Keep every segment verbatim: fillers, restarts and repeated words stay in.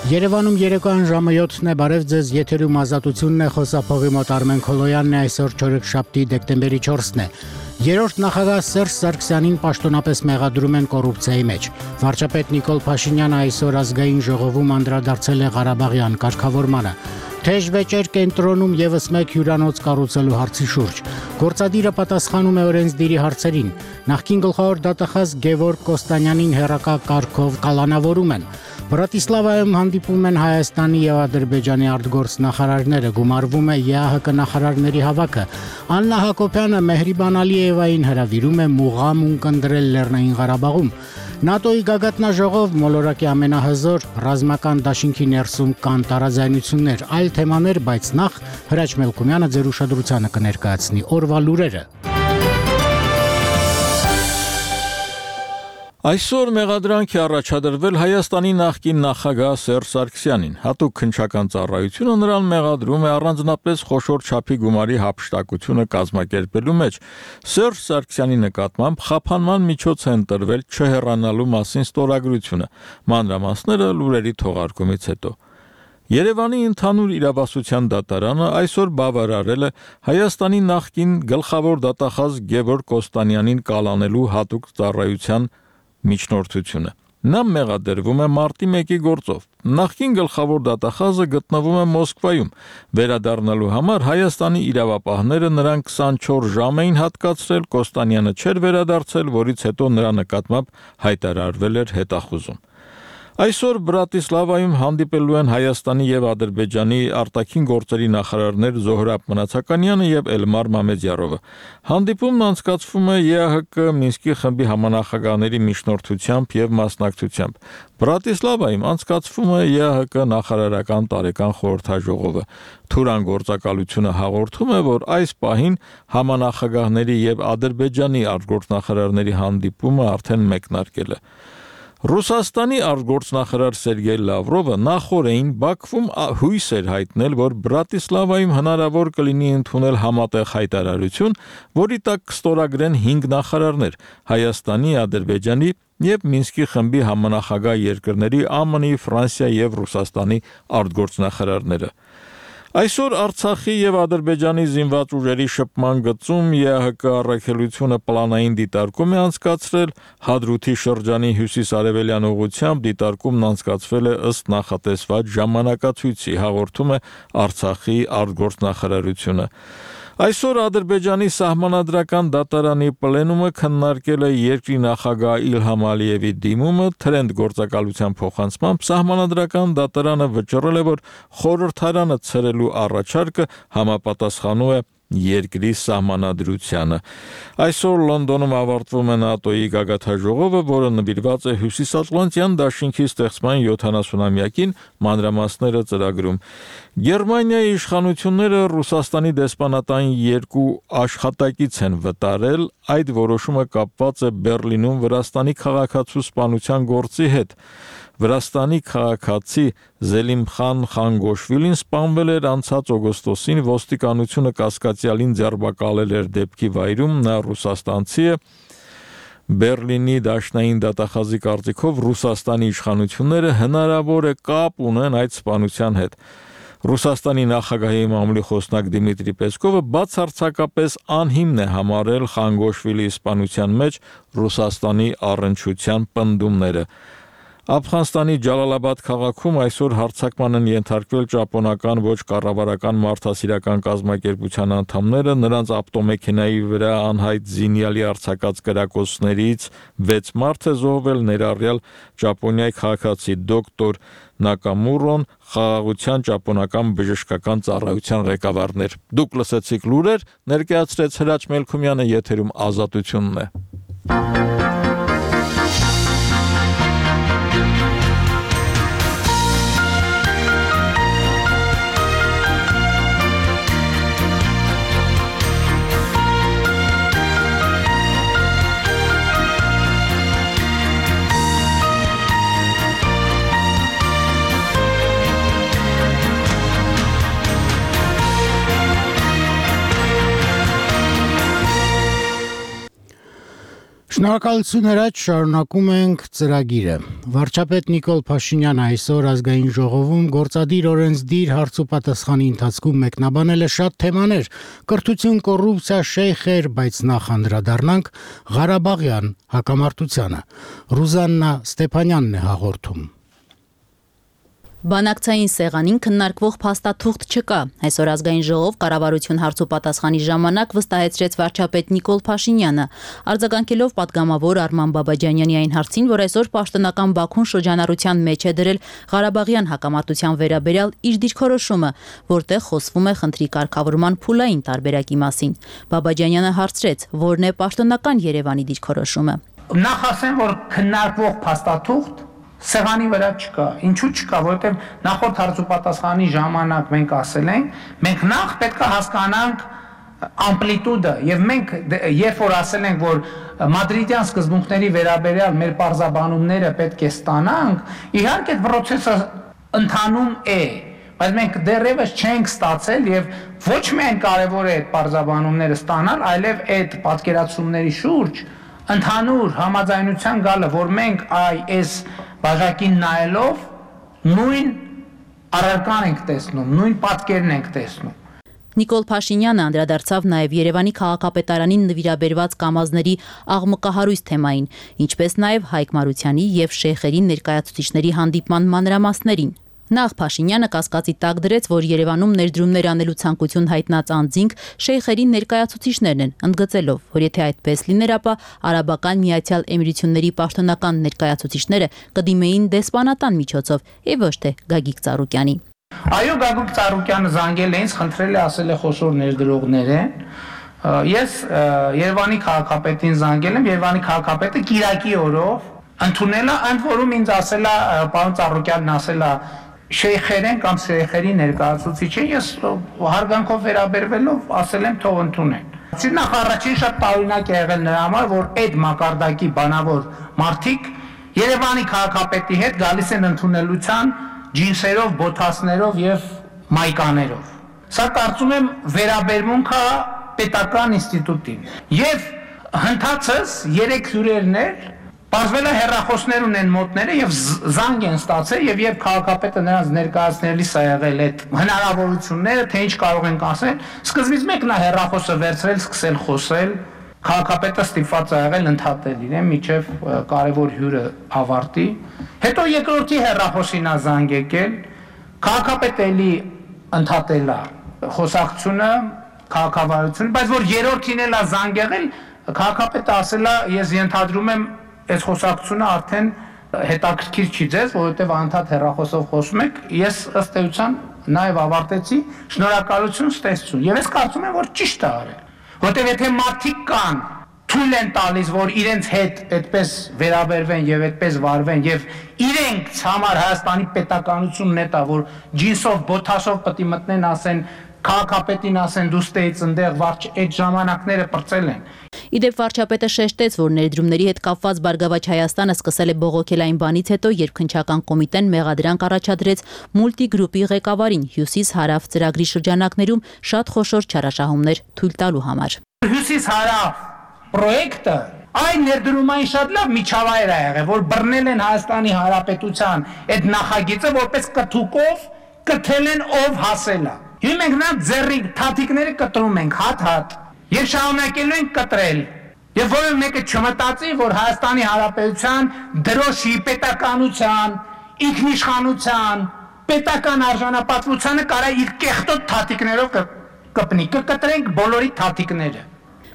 Երևանում երեկոյան ժամը յոթն է, բարև ձեզ, եթերում ազատությունն է, խոսափողի մոտ Արմեն Քոլոյանն է, այսօր չորեքշաբթի դեկտեմբերի չորսն է։ Երրորդ նախագահ Սերժ Սարգսյանին պաշտոնապես մեղադրում են կոռուպցիայի մեջ։ Վարչապետ Նիկոլ Փաշինյանը այսօր ազգային ժողովում անդրադարձել է Ղարաբաղյան կարգավորմանը։ Թեժ վեճեր կենտրոնում եւս մեկ հյուրանոց կառուցելու հարցի շուրջ։ Գործադիրը պատասխանում է օրենսդիրի հարցերին։ Նախկին գլխավոր դատախազ Գևորգ Կոստանյանին հերակա կարգով կալանավորում են։ Բրատիսլավայում հանդիպում են Հայաստանի եւ Ադրբեջանի արտգործնախարարները, գումարվում է ԵԱՀԿ նախարարների հավաքը։ Աննա Հակոբյանը Մեհրիբան Ալիևային հրավիրում է մուղամ ունկնդրել Լեռնային Ղարաբաղում։ ՆԱՏՕ-ի գագաթնաժողով մոլորակի ամենահզոր ռազմական դաշինքի ներսում կան տարաձայնություններ, այլ թեմաներ, բայց նախ Հրաչ Մելքումյանը ձեր ուշադրությանը կներկայացնի օրվա լուրերը։ Այսօր մեղադրանք է առաջադրվել Հայաստանի նախկին նախագահ Սերժ Սարգսյանին։ Հատուկ քննչական ծառայությունը նրան մեղադրում է առանձնապես խոշոր չափի գումարի հափշտակությունը կազմակերպելու մեջ։ Սերժ Սարգսյանի նկատմամբ խափանման միջոց է ընտրվել չհեռանալու մասին ստորագրությունը։ Մանրամասները լուրերի թողարկումից հետո։ Երևանի ընդհանուր իրավասության դատարանը այսօր բավարարել է Հայաստանի նախկին գլխավոր դատախազ Գևորգ Կոստանյանին կալանելու հատուկ ծառայության միջնորդությունը։ Նա մեղադրվում է մարտի մեկի գործով։ Նախկին գլխավոր դատախազը գտնվում է Մոսկվայում։ Վերադառնալու համար Հայաստանի իրավապահները նրան քսանչորս ժամ էին հատկացրել, Կոստանյանը չէր վերադարձել, որից հետո նրա նկատմամբ հայտարարվել էր հետախուզում։ Այսօր Բրատիսլավայում հանդիպելու են Հայաստանի եւ Ադրբեջանի արտաքին գործերի նախարարներ Զոհրաբ Մնացականյանը եւ Էլմար Մամեդյարովը։ Հանդիպումն անցկացվում է ԵԱՀԿ Մինսկի խմբի համանախագահների միջնորդությամբ եւ մասնակցությամբ։ Բրատիսլավայում անցկացվում է ԵԱՀԿ նախարարական տարեկան խորհրդաժողովը։ Թուրան գործակալությունը հաղորդում է, որ այս պահին համանախագահների եւ Ադրբեջանի արտգործնախարարների հանդիպումը արդեն մեկնարկել է։ Ռուսաստանի արտգործնախարար Սերգեյ Լավրովը նախորդին Բաքվում հույս էր հայտնել, որ Բրատիսլավայում հնարավոր կլինի ընդունել համատեղ հայտարարություն, որի տակ կստորագրեն հինգ նախարարներ՝ Հայաստանի, Ադրբեջանի եւ Մինսկի խմբի համանախագահ երկրների ԱՄՆ-ի, Ֆրանսիա եւ Ռուսաստանի արտգործնախարարները։ Այսօր Արցախի եւ Ադրբեջանի զինված ուժերի շփման գծում ԵԱՀԿ առաքելությունը պլանային դիտարկում է անցկացրել, Հադրութի շրջանի հյուսիս-արևելյան ուղղությամբ դիտարկումն անցկացվել է ըստ նախատեսված ժամանակացույցի, հաղորդում է Արցախի արտգործնախարարությունը։ Այսօր Ադրբեջանի սահմանադրական դատարանի պլենումը քննարկել է երկրի նախագահ Իլհամ Ալիևի դիմումը, թրենդ գործակալության փոխանցմամբ սահմանադրական դատարանը վճռել է, որ խորհրդարանը ցրելու առաջարկը համապատասխանում է երկրի սահմանադրությանը։ Այսօր Լոնդոնում ավարտվում է ՆԱՏՕ-ի գագաթնաժողովը, որը նվիրված է Հյուսիսատլանտյան դաշինքի ստեղծման յոթանասունամյակին, մանրամասները ծրագրում։ Գերմանիայի իշխանությունները Ռուսաստանի դեսպանատան երկու աշխատակից են վտարել, այդ որոշումը կապված է Բեռլինում Վրաստանի քաղաքացու սպանության գործի հետ։ Վրաստանի քաղաքացի Զելիմխան Խանգոշվիլին սպանվել էր անցած օգոստոսին, ոստիկանությունը կասկածյալին ձերբակալել էր դեպքի վայրում, նա ռուսաստանցի է։ Բեռլինի դաշնային դատախազի կարծիքով Ռուսաստանի իշխանությունները հնարավոր է կապ ունեն այդ սպանության հետ։ Ռուսաստանի նախագահի մամուլի խոսնակ Դիմիտրի Պեսկովը բացարձակապես անհիմն է համարել Խանգոշվիլի սպանության մեջ Ռուսաստանի առնչության պնդումները։ Աֆղանստանի Ջալալաբադ քաղաքում այսօր հարձակման են ենթարկվել ճապոնական ոչ կառավարական մարդասիրական կազմակերպության անդամները, նրանց ավտոմեքենայի վրա անհայտ զինյալի արձակած կրակոցներից վեց մարդ է զոհվել, ներառյալ Ճապոնիայի քաղաքացի դոկտոր Նակամուրոն, խաղաղության ճապոնական բժշկական ծառայության ղեկավարներ։ Դուք լսեցիք լուրեր, ներկայացրեց Հրաչ Մելքումյանը, եթերում ազատությունն է։ Շնորհակալություն Հրաչ, շարունակում ենք ծրագիրը։ Վարչապետ Նիկոլ Փաշինյանը այսօր ազգային ժողովում գործադիր օրենսդիր հարց ու պատասխանի ընթացքում մեկնաբանել է շատ թեմաներ՝ կրթություն, կոռուպցիա, շեյխեր, բայց նախ անդրադառնանք Ղարաբաղյան հակամարտությանը։ Ռուզաննա Ստեփանյանն է հաղորդում։ Բանակցային սեղանին քննարկվող փաստաթուղթ չկա։ Այսօր ազգային ժողով կառավարություն հարց ու պատասխանի ժամանակ վստահեցրեց վարչապետ Նիկոլ Փաշինյանը, արձագանքելով պատգամավոր Արման Բաբաջանյանի այն հարցին, որ այսօր պաշտոնական Բաքուն շրջանառության մեջ է դրել Ղարաբաղյան հակամարտության վերաբերյալ իր դիրքորոշումը, որտեղ խոսվում է խնդրի կարգավորման փուլային տարբերակի մասին։ Բաբաջանյանը հարցրեց, որն է պաշտոնական Երևանի դիրքորոշումը։ Նախ ասեմ, որ քննարկվող փաստաթուղթ սեղանի վրա չկա։ Ինչու չկա, որովհետև նախորդ հարց ու պատասխանի ժամանակ մենք ասել ենք, մենք նախ պետք է հասկանանք ամպլիտուդը, եւ մենք երբ որ ասել ենք, որ մադրիդյան սկզբունքների վերաբերյալ մեր պարզաբանումները պետք է ստանանք, իհարկե այդ process-ը ընթանում է, բայց մենք դեռևս չենք ստացել եւ ոչ միայն կարեւոր է այդ պարզաբանումները ստանալ, այլև այդ պատկերացումների շուրջ ընդհանուր համաձայնության գալը, որ մենք այ այս բաժակին նայելով նույն առարկան ենք տեսնում, նույն պատկերն ենք տեսնում։ Նիկոլ Փաշինյանը անդրադարձավ նաև Երևանի քաղաքապետարանին նվիրաբերված կամազների աղմկահարույց թեմային, ինչպես նաև Հայկ Մարությանի եւ շեյխերի ներկայացուցիչների հանդիպման մանրամասներին։ Նախ Փաշինյանը կասկածի տակ դրեց, որ Երևանում ներդրումներ անելու ցանկություն հայտնած անձինք շեյխերի ներկայացուցիչներն են, ընդգծելով, որ եթե այդպես լիներ, ապա Արաբական Միացյալ Էմիրությունների պաշտոնական ներկայացուցիչները կդիմեին դեսպանատան միջոցով եւ ոչ թե Գագիկ Ծառուկյանի։ Այո, Գագիկ Ծառուկյանը զանգել է ինձ, խնդրել է, ասել է խոշոր ներդրողներ են։ Ես Երևանի քաղաքապետին զանգել եմ, Երևանի քաղաքապետը Կիրակի օրով ընդունել է, ընդ որում ինձ ասել է, պարոն Ծառուկյանն ասել է շեյխերեն կամ շեյխերի ներկայացուցիչ է, ես հարգանքով վերաբերվելով ասել եմ թող ընդունեն։ Նախ առաջին շատ տարօրինակ է եղել նրա համար, որ այդ մակարդակի բանավոր մարդիկ Երևանի քաղաքապետի հետ գալիս են ընդունելության ջինսերով, բոթասներով եւ մայկաներով։ Սա կարծում եմ վերաբերմունք է պետական ինստիտուտին։ Եվ հնդածս երեք հյուրերներ Պարզվել է հեռախոսներ ունեն մոտները եւ զանգ են ստացել եւ երբ քաղաքապետը նրանց ներկայացնելիս է եղել այդ հնարավորությունները, թե ինչ կարող են ասել, սկզբից մեկն է հեռախոսը վերցրել, սկսել խոսել, քաղաքապետը ստիպված է եղել ընդհատել իրեն միջև կարևոր հյուրը ավարտի, հետո երկրորդի հեռախոսին է զանգ եկել, քաղաքապետը էլի ընդհատել է խոսակցությունը, քաղաքավարությունը, բայց որ երրորդին էլ է զանգ եղել, քաղաքապետը ասել է, ես ենթադրում եմ այս խոսակցությունը արդեն հետաքրքիր չի ձեզ, որովհետև անդադ հեռախոսով խոսում եք, ես ըստ էության նաև ավարտեցի, շնորհակալություն, ստեսություն։ Եվ ես կարծում եմ, որ ճիշտ է արել, որովհետև եթե մարդիկ կան, թույլ են տալիս, որ իրենց հետ այդպես վերաբերվեն եւ այդպես վարվեն եւ իրենք համար Հայաստանի պետականությունն է տա, որ ջինսով, բոթասով պետք է մտնեն, ասեն, քաղաքապետին ասեն, դու ստեից ընդեղ վարչ, այդ ժամանակները պրծել են։ Իդեպ վարչապետը շեշտեց, որ ներդրումների հետ կապված Բարգավաճ Հայաստանը սկսել է բողոքել այն բանից հետո, երբ քննչական կոմիտեն մեղադրանք առաջադրեց մուլտիգրուպի ղեկավարին Հյուսիս-Հարավ ծրագրի շրջանակներում շատ խոշոր չարաշահումներ թույլ տալու համար։ Հյուսիս-Հարավ պրոյեկտը այն ներդրումային շատ լավ միջավայր է եղել, որ բռնել են Հայաստանի Հանրապետության այդ նախագիծը, որպես կթուկով կթել են ով հասել է։ Հիմա մենք նա ձեռի թաթիկները կտրում ենք հատ-հատ եւ շարունակելու ենք կտրել։ Եվ որևէ մեկը չմտածի, որ Հայաստանի Հանրապետության դրոշի պետականության, ինքնիշխանության, պետական արժանապատվությանը կարա իր կեղտոտ թաթիկներով կպնի, կկտրենք բոլորի թաթիկները։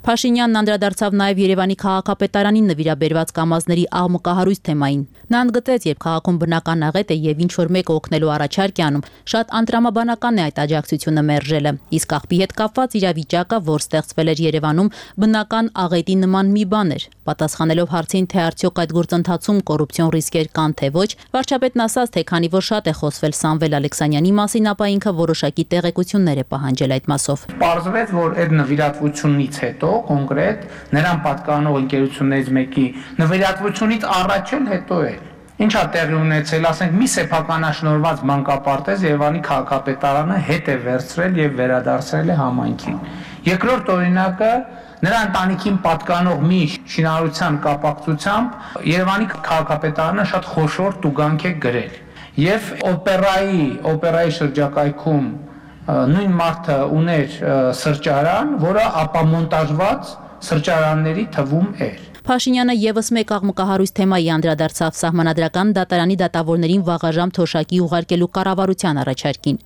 Փաշինյանն անդրադարձավ նաև Երևանի քաղաքապետարանին նվիրաբերված կամազների աղմկահարույց թեմային։ Նա ընդգծեց, երբ քաղաքում բնական աղետ է եւ ինչ որ մեկը օգնելու առաջարկ է անում, շատ անտրամաբանական է այդ աջակցությունը մերժելը։ Իսկ աղբի հետ կապված իրավիճակը, որ ստեղծվել էր Երևանում, բնական աղետի նման մի բան էր։ Պատասխանելով հարցին, թե արդյոք այդ գործընթացում կոռուպցիոն ռիսկեր կան թե ոչ, վարչապետն ասաց, թե քանի որ շատ է խոսվել Սամվել Ալեքսանյանի մասին, ապա ինքը որոշակի տեղեկություններ է պահանջել այդ մասով։ Պարզվեց, որ այդ նվիրատվությունից հետո կոնկրետ նրան պատկանող ընկերություններից մեկի նվիրատվությունից առաջ էլ հետո է։ Ինչ է տեղի ունեցել, ասենք մի սեփականաշնորհված մանկապարտեզ Երևանի քաղաքապետարանը հետ է վերցրել եւ վերադարձրել է համայնքին։ Երկրորդ օրինակը նրա ընտանիքին պատկանող մի շինարարության կապակցությամբ Երևանի քաղաքապետարանը շատ խոշոր տուգանք է գրել եւ օպերայի օպերայի շրջակայքում նույն մարդը ուներ սրճարան, որը ապամոնտաժված սրճարանների թվում էր։ Փաշինյանը եւս մեկ աղմկահարույց թեմայի անդրադարձավ սահմանադրական դատարանի դատավորներին վաղաժամ թոշակի ուղարկելու կառավարության առաջարկին։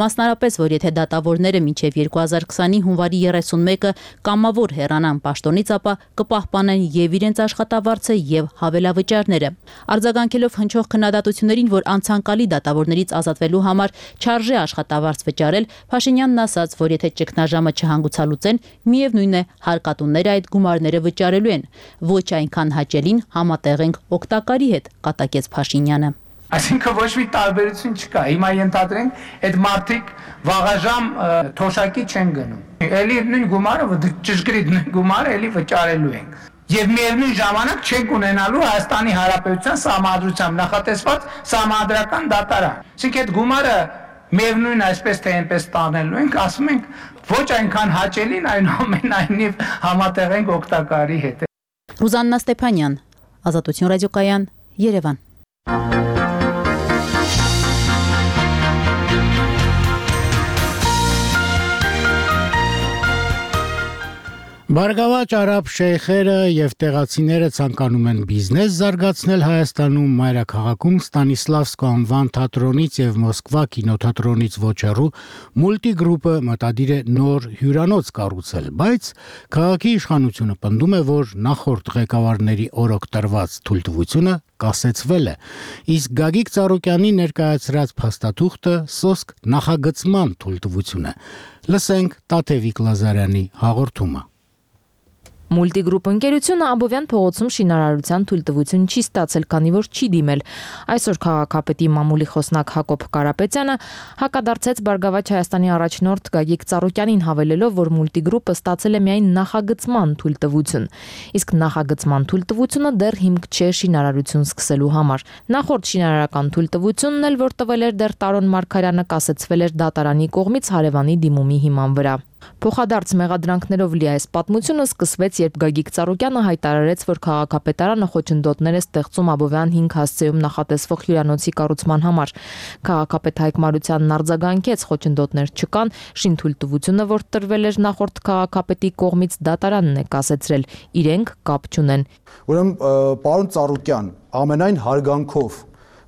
Մասնարապես, որ եթե դատավորները մինչև երկու հազար քսանի հունվարի երեսունմեկը կամավոր հեռանան պաշտոնից, ապա կպահպանեն եւ իրենց աշխատավարձը եւ հավելավճարները։ Արձագանքելով հնչող քննադատություններին, որ անցանկալի դատավորներից ազատվելու համար չարժե աշխատավարձ վճարել, Փաշինյանն ասաց, որ եթե ճգնաժամը չհանգուցալուծեն, միևնույն է հարկատուները այդ գումարները վճարելու են։ Ոչ այնքան հաճելին համատեղ ենք օգտակարի հետ, կատակեց Փաշինյանը։ Այսինքն ոչ մի տարբերություն չկա։ Հիմա ենթադրենք, այդ մարդիկ վաղաժամ թոշակի չեն գնում։ Էլի նույն գումարը, ճշգրիտ նույն գումարը էլի վճարելու ենք։ Եվ միևնույն ժամանակ չենք ունենալու Հայաստանի Հանրապետության սահմանադրությամբ նախատեսված սահմանադրական դատարան։ Այսինքն այդ գումարը միևնույն այսպես թե այնպես տանելու ենք, ասում ենք ոչ այնքան հաճելին, այնուամենայնիվ համատեղ ենք օգտակարի հետ։ Ռուզաննա Ստեփանյան, Ազատություն ռադիոկայան, Երևան։ Բարգավաճ արաբ շեյխերը եւ տեղացիները ցանկանում են բիզնես զարգացնել Հայաստանում մայրաքաղաքում Ստանիսլավսկո անվան թատրոնից եւ Մոսկվա կինոթատրոնից ոչ հեռու մուլտիգրուպը մտադիր է նոր հյուրանոց կառուցել, բայց քաղաքի իշխանությունը պնդում է, որ նախորդ ղեկավարների օրոք տրված թույլտվությունը կասեցվել է, իսկ Գագիկ Ծառուկյանի ներկայացրած փաստաթուղթը սոսկ նախագծման թույլտվություն է։ Լսենք Տաթևիկ Լազարյանի հաղորդումը։ Մուլտիգրուպ ընկերությունը Աբովյան փողոցում շինարարության թույլտվություն չի ստացել, քանի որ չի դիմել։ Այսօր քաղաքապետի մամուլի խոսնակ Հակոբ Կարապետյանը հակադարձեց Բարգավաճ Հայաստանի առաջնորդ Գագիկ Ծառուկյանին, հավելելով, որ մուլտիգրուպը ստացել է միայն նախագծման թույլտվություն, իսկ նախագծման թույլտվությունը դեռ հիմք չէ շինարարություն սկսելու համար։ Նախորդ շինարարական թույլտվությունն էլ, որ տվել էր դեռ Տարոն Մարգարյանը, կասեցվել էր դատարանի կողմից հարևանի դիմումի հիման վրա։ Փոխադարձ մեղադրանքներով լի այս պատմությունը սկսվեց, երբ Գագիկ Ծառուկյանը հայտարարեց, որ քաղաքապետարանը խոչընդոտներ է ստեղծում Աբովյան հինգ հասցեում նախատեսվող հյուրանոցի կառուցման համար։ Քաղաքապետ Հայկ Մարությանն արձագանքեց, խոչընդոտներ չկան, շինթույլտվությունը, որ տրվել էր նախորդ քաղաքապետի կողմից, դատարանն է կասեցրել, իրենք կապ չունեն։ Ուրեմն, պարոն Ծառուկյան, ամենայն հարգանքով,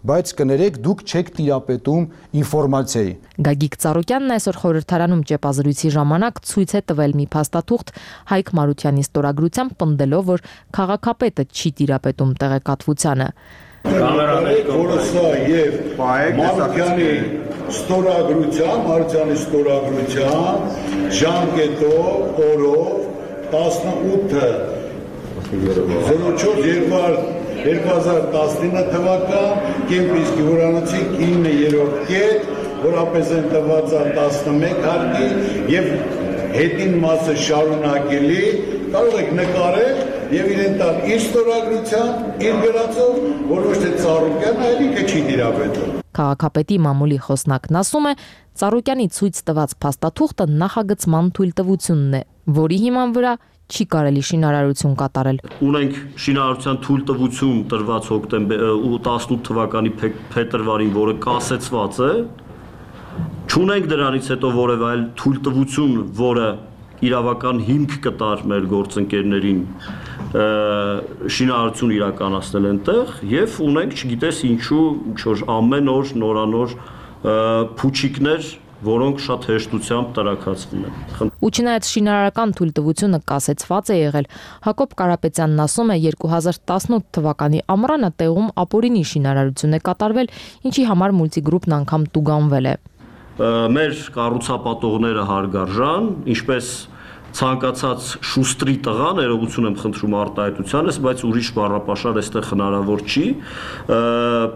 բայց կներեք, դուք չեք տիրապետում ինֆորմացիայի։ Գագիկ Ծառուկյանն այսօր խորհրդարանում ճեպազրույցի ժամանակ ցույց է տվել մի փաստաթուղթ Հայկ Մարությանի ստորագրությամբ, պնդելով, որ քաղաքապետը չի տիրապետում տեղեկատվությանը։ Որը սա եւ Մարությանի ստորագրությամբ, Մարությանի ստորագրությամբ ժամկետով, օրով տասնութը զրո չորս երկու հազար տասնինը թվական Կեմպինսկի հյուրանոցի իններորդ կետ, որապես են տված տասնմեկ հարկի եւ հետին մասը շարունակելի, կարող եք նկարել եւ իրեն տալ իր ստորագրությամբ, իր գրածով, որ ոչ թե Ծառուկյանը այլ ինքը չի դիրապետում։ Քաղաքապետի մամուլի խոսնակն ասում է, Ծառուկյանի ցույց տված փաստաթուղթը նախագծման թույլտվությունն է, որի հիման վրա չի կարելի շինարարություն կատարել։ Ունենք շինարարության թույլտվություն տրված հոկտեմբեր տասնութ թվականի փետրվարին, որը կասեցված է։ Չունենք դրանից հետո որևէ այլ թույլտվություն, որը իրավական հիմք կտար մեր գործընկերներին շինարարություն իրականացնել այնտեղ, եւ ունենք, չգիտես ինչու, ինչ-որ ամեն օր նորանոր փուչիկներ, որոնք շատ հեշտությամբ տրաքացվում են։ Ու չնայած շինարարական թույլտվությունը կասեցված է եղել, Հակոբ Կարապետյանն ասում է, երկու հազար տասնութ թվականի ամռանը տեղում ապօրինի շինարարություն է կատարվել, ինչի համար մուլտիգրուպն անգամ տուգանվել է։ Մեր կառուցապատողները հարգարժան, ինչպես ցանկացած շուստրի տղա, ներողություն եմ խնդրում արտահայտությանս, բայց ուրիշ բառապաշար այստեղ հնարավոր չի,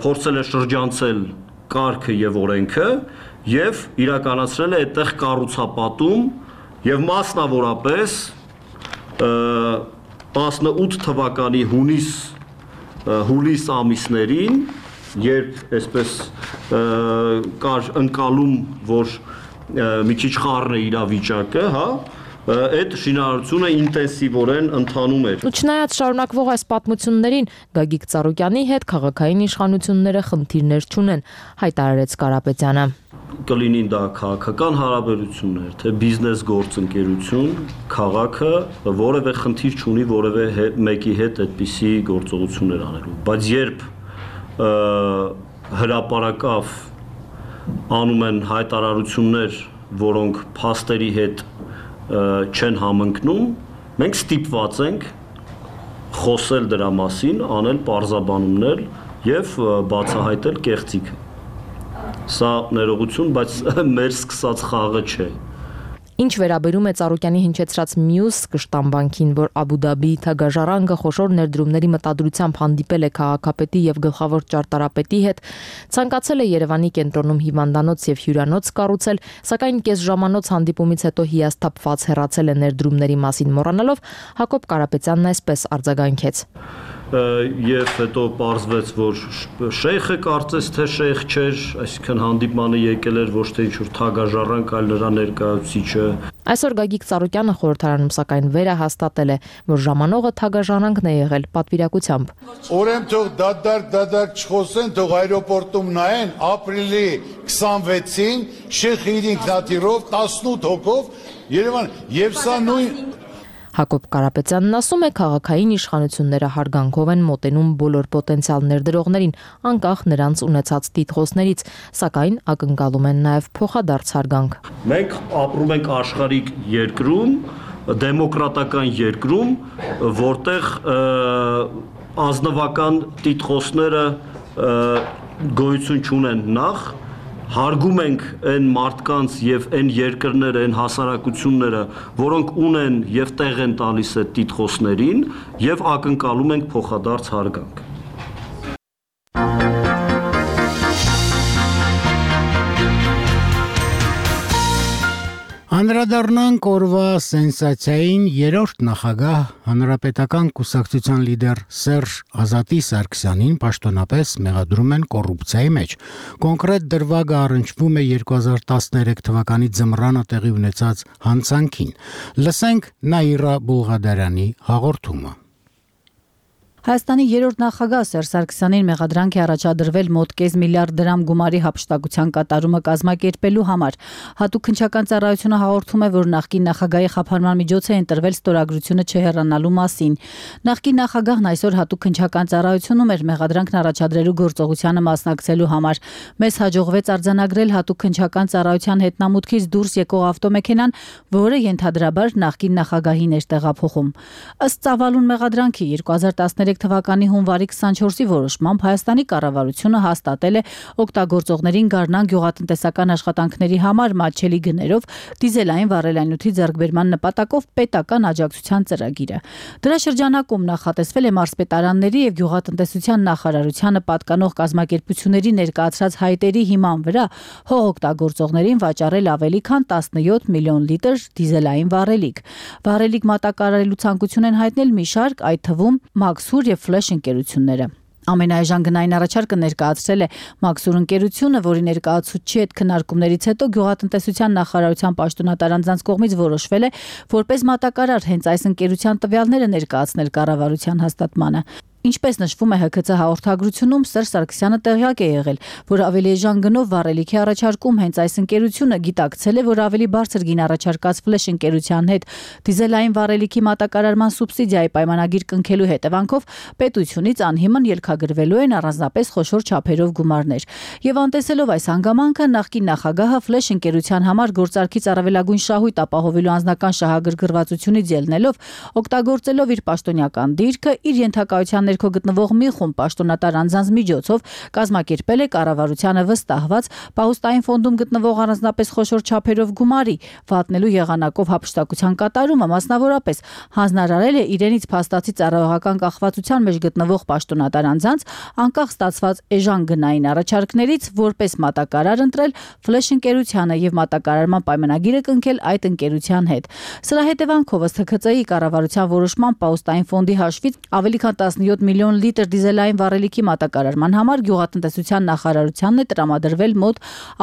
փորձել է շրջանցել կարգը եւ օրենքը եւ իրականացրել է այդտեղ կառուցապատում եւ մասնավորապես տասնութ թվականի հունիս հուլիս ամիսներին, երբ այսպես կար ընկալում, որ մի քիչ խառն է իրավիճակը, հա, այդ շինարարությունը ինտենսիվորեն ընթանում էր։ Ու չնայած շարունակվող այս պատմություններին Գագիկ Ծառուկյանի հետ քաղաքային իշխանությունները խնդիրներ չունեն, հայտարարեց Կարապետյանը։ Կլինին դա քաղաքական հարաբերություններ, թե բիզնես գործընկերություն, քաղաքը որևէ խնդիր չունի որևէ մեկի հետ այդպիսի գործողություններ անելու, բայց երբ հրապարակավ անում են հայտարարություններ, որոնք փաստերի հետ չեն համընկնում, մենք ստիպված ենք խոսել դրա մասին, անել պարզաբանումներ եւ բացահայտել կեղծիքը։ Սա ներողություն, բայց մեր սկսած խաղը չէ։ Ինչ վերաբերում է Ծառուկյանի հնչեցրած մյուս կշտամբանքին, որ Աբու Դաբիի թագաժառանգը խոշոր ներդրումների մտադրությամբ հանդիպել է քաղաքապետի եւ գլխավոր ճարտարապետի հետ, ցանկացել է Երևանի կենտրոնում հիվանդանոց եւ հյուրանոց կառուցել, սակայն կես ժամանոց հանդիպումից հետո հիասթափված հեռացել է ներդրումների մասին մոռանալով, Հակոբ Կարապետյանն այսպես արձագանքեց. Եվ հետո պարզվեց, որ շեյխը կարծես թե շեյխ չէր, այսինքն հանդիպմանը եկել էր ոչ թե ինչ-որ թագաժառանգ, այլ նրա ներկայացուցիչը։ Այսօր Գագիկ Ծառուկյանը խորհրդարանում սակայն վերահաստատել է, որ ժամանողը թագաժառանգն է եղել պատվիրակությամբ։ Ուրեմն թող դադար դադար չխոսեն, թող այրոպորտում նայեն ապրիլի քսանվեցին Շեյխ ինքնաթիռով տասնութ հոգով Երևան, եւ սա նույն Հակոբ Կարապետյանն ասում է, քաղաքային իշխանությունները հարգանքով են մոտենում բոլոր պոտենցիալ ներդրողներին, անկախ նրանց ունեցած տիտղոսներից, սակայն ակնկալում են նաև փոխադարձ հարգանք։ Մենք ապրում ենք աշխարհիկ երկրում, դեմոկրատական երկրում, որտեղ ազնվական տիտղոսները գոյություն չունեն նախ, հարգում ենք այն մարդկանց եւ այն երկրները, այն հասարակությունները, որոնք ունեն եւ տեղ են տալիս այդ տիտղոսներին եւ ակնկալում ենք փոխադարձ հարգանք։ Անդրադառնանք օրվա սենսացիային երրորդ նախագահ հանրապետական կուսակցության լիդեր Սերժ Ազատի Սարգսյանին պաշտոնապես մեղադրում են կոռուպցիայի մեջ։ Կոնկրետ դրվագը առնչվում է երկու հազար տասներեք թվականի ձմռանը տեղի ունեցած հանցանքին։ Լսենք Նաիրա Բուլղադարյանի հաղորդումը։ Հայաստանի երրորդ նախագահ Սերժ Սարգսյանին մեղադրանք է առաջադրվել մոտ կես միլիարդ դրամ գումարի հափշտակության կատարումը կազմակերպելու համար։ Հատուկ քննչական ծառայությունը հաղորդում է, որ նախկին նախագահի խափանման միջոց է ընտրվել ստորագրությունը չհեռանալու մասին։ Նախկին նախագահն այսօր հատուկ քննչական ծառայությունում էր մեղադրանքն առաջադրելու գործողությանը մասնակցելու համար։ Մեզ հաջողվեց արձանագրել հատուկ քննչական ծառայության հետնամուտքից դուրս եկող ավտոմեքենան, որը ենթադրաբար նախկին նախագահին էր տեղափոխում։ Ըստ ծավալուն մեղադրանքի երկու հազար տասներեք թվականի հունվարի քսանչորսի որոշմամբ Հայաստանի կառավարությունը հաստատել է օգտագործողներին գարնան գյուղատնտեսական աշխատանքների համար մատչելի գներով դիզելային վառելանյութի ձեռքբերման նպատակով պետական աջակցության ծրագիրը։ Դրա շրջանակում նախատեսվել է մարզպետարանների եւ գյուղատնտեսության նախարարությանը պատկանող կազմակերպությունների ներկայացրած հայտերի հիման վրա հող օգտագործողներին վաճառել ավելի քան տասնյոթ միլիոն լիտր դիզելային վառելիք։ Վառելիք մատակարարելու ցանկություն են հայտնել մի շարք, այդ թվում Մաքսուր եւ Ֆլեշ ընկերությունները։ Ամենաէժան գնային առաջարկը ներկայացրել է Մաքսուր ընկերությունը, որի ներկայացուցչի հետ քննարկումներից հետո գյուղատնտեսության նախարարության պաշտոնատար անձանց կողմից որոշվել է որպես մատակարար հենց այս ընկերության տվյալները ներկայացնել կառավարության հաստատմանը։ Ինչպես նշվում է Հ K C հաղորդագրությունում, Սերժ Սարգսյանը տեղյակ է եղել, որ ավելի էժան գնով վառելիքի առաջարկում հենց այս ընկերությունը գիտակցել է, որ ավելի բարձր գին առաջարկած Ֆլեշ ընկերության հետ դիզելային վառելիքի մատակարարման սուբսիդիայի պայմանագիր կնքելու հետևանքով պետությունից անհիմն ելքագրվելու են առանձնապես խոշոր չափերով գումարներ։ Եվ անտեսելով այս հանգամանքը, նախկին նախագահը Ֆլեշ ընկերության համար գործարքից առավելագույն շահույթ ապահովելու անձնական շահագրգռվածությունից ելնելով, օգտագործելով իր պաշտոնյական դիրքը, իր ենթակայության ներքո գտնվող մի խումբ պաշտոնատար անձանց միջոցով կազմակերպել է կառավարությանը վստահված պահուստային ֆոնդում գտնվող առանձնապես խոշոր չափերով գումարի վատնելու եղանակով հափշտակության կատարումը, մասնավորապես հանձնարարել է իրենից փաստացի ծառայողական կախվածության մեջ գտնվող պաշտոնատար անձանց անկախ ստացված էժան գնային առաջարկներից որպես մատակարար ընտրել Ֆլեշ ընկերությանը եւ մատակարարման պայմանագիրը կնքել այդ ընկերության հետ։ Սրա հետևանքով ըստ Հ K C-ի կառավարության որոշման պահուստային ֆոնդի հաշվից ավելի քան տասնյոթ տասնյոթ միլիոն լիտր դիզելային վառելիքի մատակարարման համար գյուղատնտեսության նախարարությանն է տրամադրվել մոտ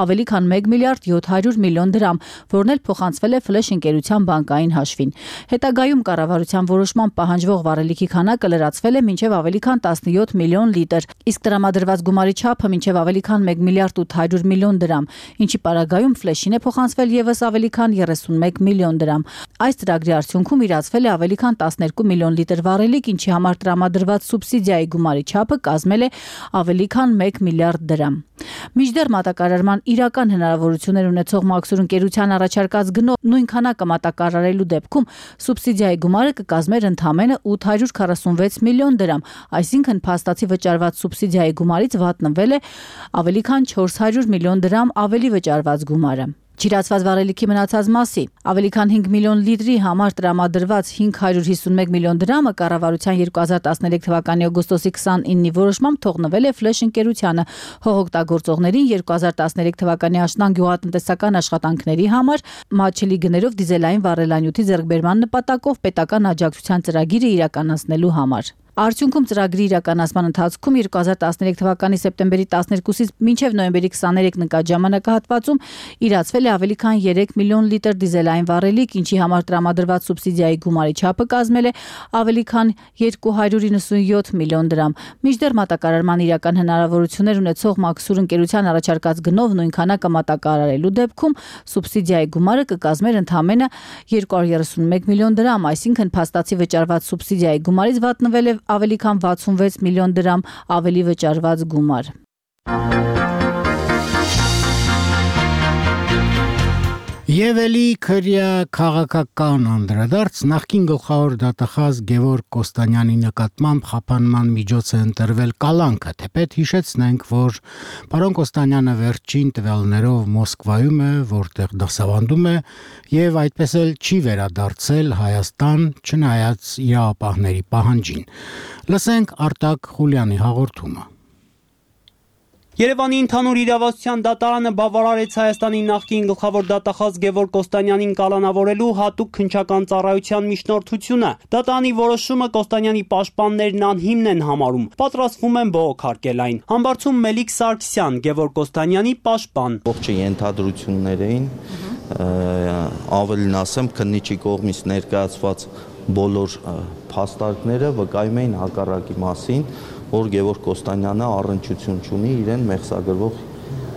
ավելի քան մեկ միլիարդ յոթ հարյուր միլիոն դրամ, որն էլ փոխանցվել է Ֆլեշ ընկերության բանկային հաշվին։ Հետագայում կառավարության որոշմամբ պահանջվող վառելիքի քանակը լրացվել է մինչև ավելի քան տասնյոթ միլիոն լիտր, իսկ տրամադրված գումարի չափը մինչև ավելի քան մեկ միլիարդ ութ հարյուր միլիոն դրամ, ինչի պարագայում Ֆլեշին է փոխանցվել ևս ավելի քան երեսունմեկ միլիոն դրամ։ Այս ծրագրի արդյունքում իրացվել է ավելի քան տասներկու միլիոն լիտր վառելիք, ինչի համար տրամադրված սուբսիդիայի գումարի չափը կազմել է ավելի քան մեկ միլիարդ դրամ։ Մինչդեռ մատակարարման իրական հնարավորություններ ունեցող Մաքսուր ընկերության առաջարկած գնով նույն քանակը մատակարարելու դեպքում սուբսիդիայի գումարը կկազմեր ընդամենը ութ հարյուր քառասունվեց միլիոն դրամ, այսինքն փաստացի վճարված սուբսիդիայի գումարից վատնվել է ավելի քան չորս հարյուր միլիոն դրամ ավելի վճարված գումարը։ Չիրացված վառելիքի մնացած մասի ավելի քան հինգ միլիոն լիտրի համար տրամադրված հինգ հարյուր հիսունմեկ միլիոն դրամը կառավարության երկու հազար տասներեք թվականի օգոստոսի քսանինի որոշմամբ թողնվել է Ֆլեշ ընկերությանը հողօգտագործողներին երկու հազար տասներեք թվականի աշնան գյուղատնտեսական աշխատանքների համար մատչելի գներով դիզելային վառելանյութի ձեռքբերման նպատակով պետական աջակցության ծրագիրը իրականացնելու համար։ Արդյունքում ծրագրի իրականացման ընթացքում երկու հազար տասներեք թվականի սեպտեմբերի տասներկուսից մինչև նոյեմբերի քսաներեք նկատ ժամանակահատվածում իրացվել է ավելի քան երեք միլիոն լիտր դիզելային վառելիք, ինչի համար տրամադրված սուբսիդիայի գումարի չափը կազմել է ավելի քան երկու հարյուր իննսունյոթ միլիոն դրամ։ Մինչդեռ մատակարարման իրական հնարավորություններ ունեցող Մաքսուր ընկերության առաջարկած գնով նույն քանակը մատակարարելու դեպքում սուբսիդիայի գումարը կկազմեր ընդամենը երկու հարյուր երեսունմեկ միլիոն դրամ, այսինքն փաստացի վճարված սուբսիդիայի գումարից վատնվել է ավելի քան վաթսունվեց միլիոն դրամ ավելի վճարված գումար։ Եվ էլի քրյա քաղաքական անդրադարձ նախկին գլխավոր դատախազ Գևորգ Կոստանյանի նկատմամբ խափանման միջոց է ընտրվել կալանքը, թեպետ հիշեցնենք, որ պարոն Կոստանյանը վերջին տվյալներով Մոսկվայում է, որտեղ դասավանդում է եւ այդպես էլ չի վերադարձել Հայաստան, չնայած իրավապահների պահանջին։ Լսենք Արտակ Խուլյանի հաղորդումը։ Երևանի ընդհանուր իրավասության դատարանը բավարարեց Հայաստանի նախկին գլխավոր դատախազ Գևորգ Կոստանյանին կալանավորելու հատուկ քննչական ծառայության միջնորդությունը։ Դատարանի որոշումը Կոստանյանի պաշտպաններն անհիմն են համարում, պատրաստվում են բողոքարկել այն։ Համբարձում Մելիք Սարգսյան, Գևորգ Կոստանյանի պաշտպան։ Ողջ ենթադրություններ էին, ավելին ասեմ, քննիչի կողմից ներկայացված բոլոր փաստարկները վկայում էին հակառակի մասին, որ Գևորգ Կոստանյանը առնչություն չունի իրեն մեղսագրվող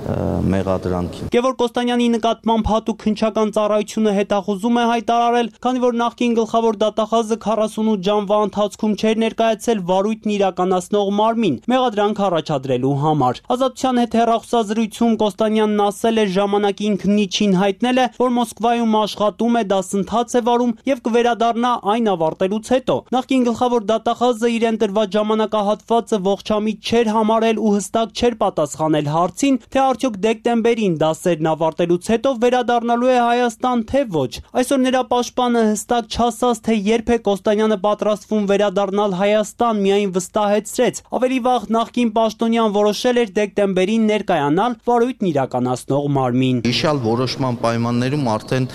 մեղադրանքին։ Գևորգ Կոստանյանի նկատմամբ հատուկ քննչական ծառայությունը հետախուզում է հայտարարել, քանի որ նախկին գլխավոր դատախազը քառասունութ ժամվա ընթացքում չէր ներկայացել վարույթն իրականացնող մարմին մեղադրանք առաջադրելու համար։ Ազատության հետ հեռախոսազրույցում Կոստանյանն ասել է ժամանակին քննիչին հայտնել է, որ Մոսկվայում աշխատում է, դասընթաց է վարում եւ կվերադառնա այն ավարտելուց հետո։ Նախկին գլխավոր դատախազը իրեն տրված ժամանակահատվածը ողջամիտ չէր համարել ու հստակ չէր պատասխանել հարցին, թե արդյոք դեկտեմբերին դասերն ավարտելուց հետո վերադառնալու է Հայաստան, թե ոչ։ Այսօր նրա պաշտպանը հստակ չասաց, թե երբ է Կոստանյանը պատրաստվում վերադառնալ Հայաստան, միայն վստահեցրեց։ Ավելի վաղ նախկին պաշտոնյան որոշել էր դեկտեմբերին ներկայանալ վարույթն իրականացնող մարմին։ Իշալ որոշման պայմաններում արդեն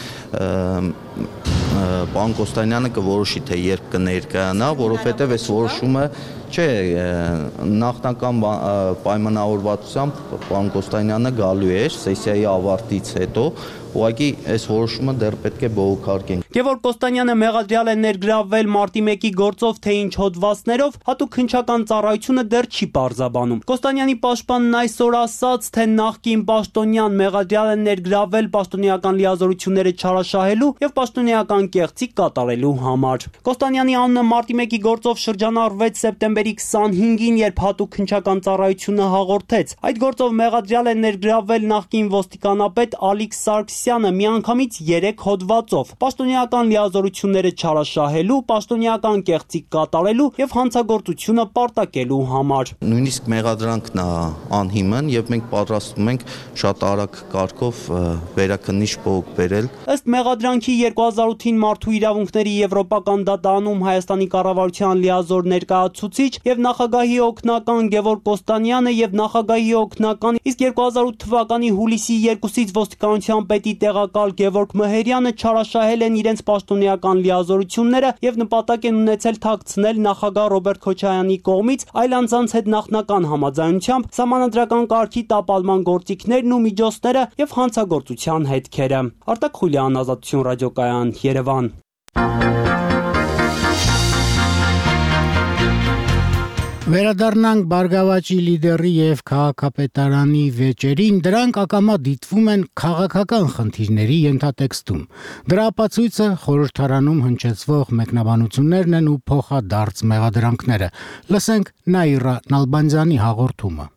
պարոն Կոստանյանը կորոշի, թե երբ կներկայանա, որովհետև այս որոշումը չէ, նախնական պայմանավորվածությամբ պարոն Կոստանյանը գալու էր սեսիայի ավարտից հետո, ուղղակի այս որոշումը դեռ պետք է բողոքարկենք։ Գևորգ Կոստանյանը մեղադրյալ է ներգրավվել մարտի մեկի գործով, թե ինչ հոդվածներով, հատուկ քննչական ծառայությունը դեռ չի պարզաբանում։ Կոստանյանի պաշտպանն այսօր ասաց, թե նախկին պաշտոնյան մեղադրյալ է ներգրավվել պաշտոնեական լիազորությունները չարաշահելու եւ պաշտոնեական կեղծիք կատարելու համար։ Կոստանյանի անունը մարտի մեկի գործով շրջանառվեց սեպտեմբերի քսանհինգին, երբ հատուկ քննչական ծառայությունը հաղորդեց։ Այդ գործով մեղադրյալ է ներգրավվել նախկին ոստիկանապետ Ալիք Սարգսյանը միանգամից երեք հոդվածով՝ պաշտոնեական լիազորությունները չարաշահելու, պաշտոնեական կեղծիք կատարելու եւ հանցագործությունը պարտակելու համար։ Նույնիսկ մեղադրանքն է անհիմն եւ մենք պատրաստվում ենք շատ արագ կարգով վերաքննիչ բողոք բերել։ Ըստ մեղադրանքի երկու հազար ութին մարդու իրավունքների եվրոպական դատարանում Հայաստանի կառավարության լիազոր ներկայացուցիչ Գոռոչկովիչ եւ նախագահի օգնական Գևորգ Կոստանյանը եւ նախագահի օգնական, իսկ երկու հազար ութ թվականի հուլիսի երկուսից ոստիկանության պետի տեղակալ Գևորգ Մհերյանը չարաշահել են իրենց պաշտոնեական լիազորությունները եւ նպատակ են ունեցել թաքցնել նախագահ Ռոբերտ Քոչարյանի կողմից այլ անձանց հետ նախնական համաձայնությամբ սահմանադրական կարգի տապալման գործիքներն ու միջոցները եւ հանցագործության հետքերը։ Արտակ Խուլյան, Ազատություն ռադիոկայան, Երևան։ Վերադառնանք Բարգավաճի լիդերի եւ քաղաքապետարանի վեճերին, դրանք ակամա դիտվում են քաղաքական խնդիրների ենթատեքստում։ Դրա ապացույցը խորհրդարանում հնչեցվող մեկնաբանություններն են ու փոխադարձ մեղադրանքները։ Լսենք Նաիրա Նալբանդյանի հաղորդումը։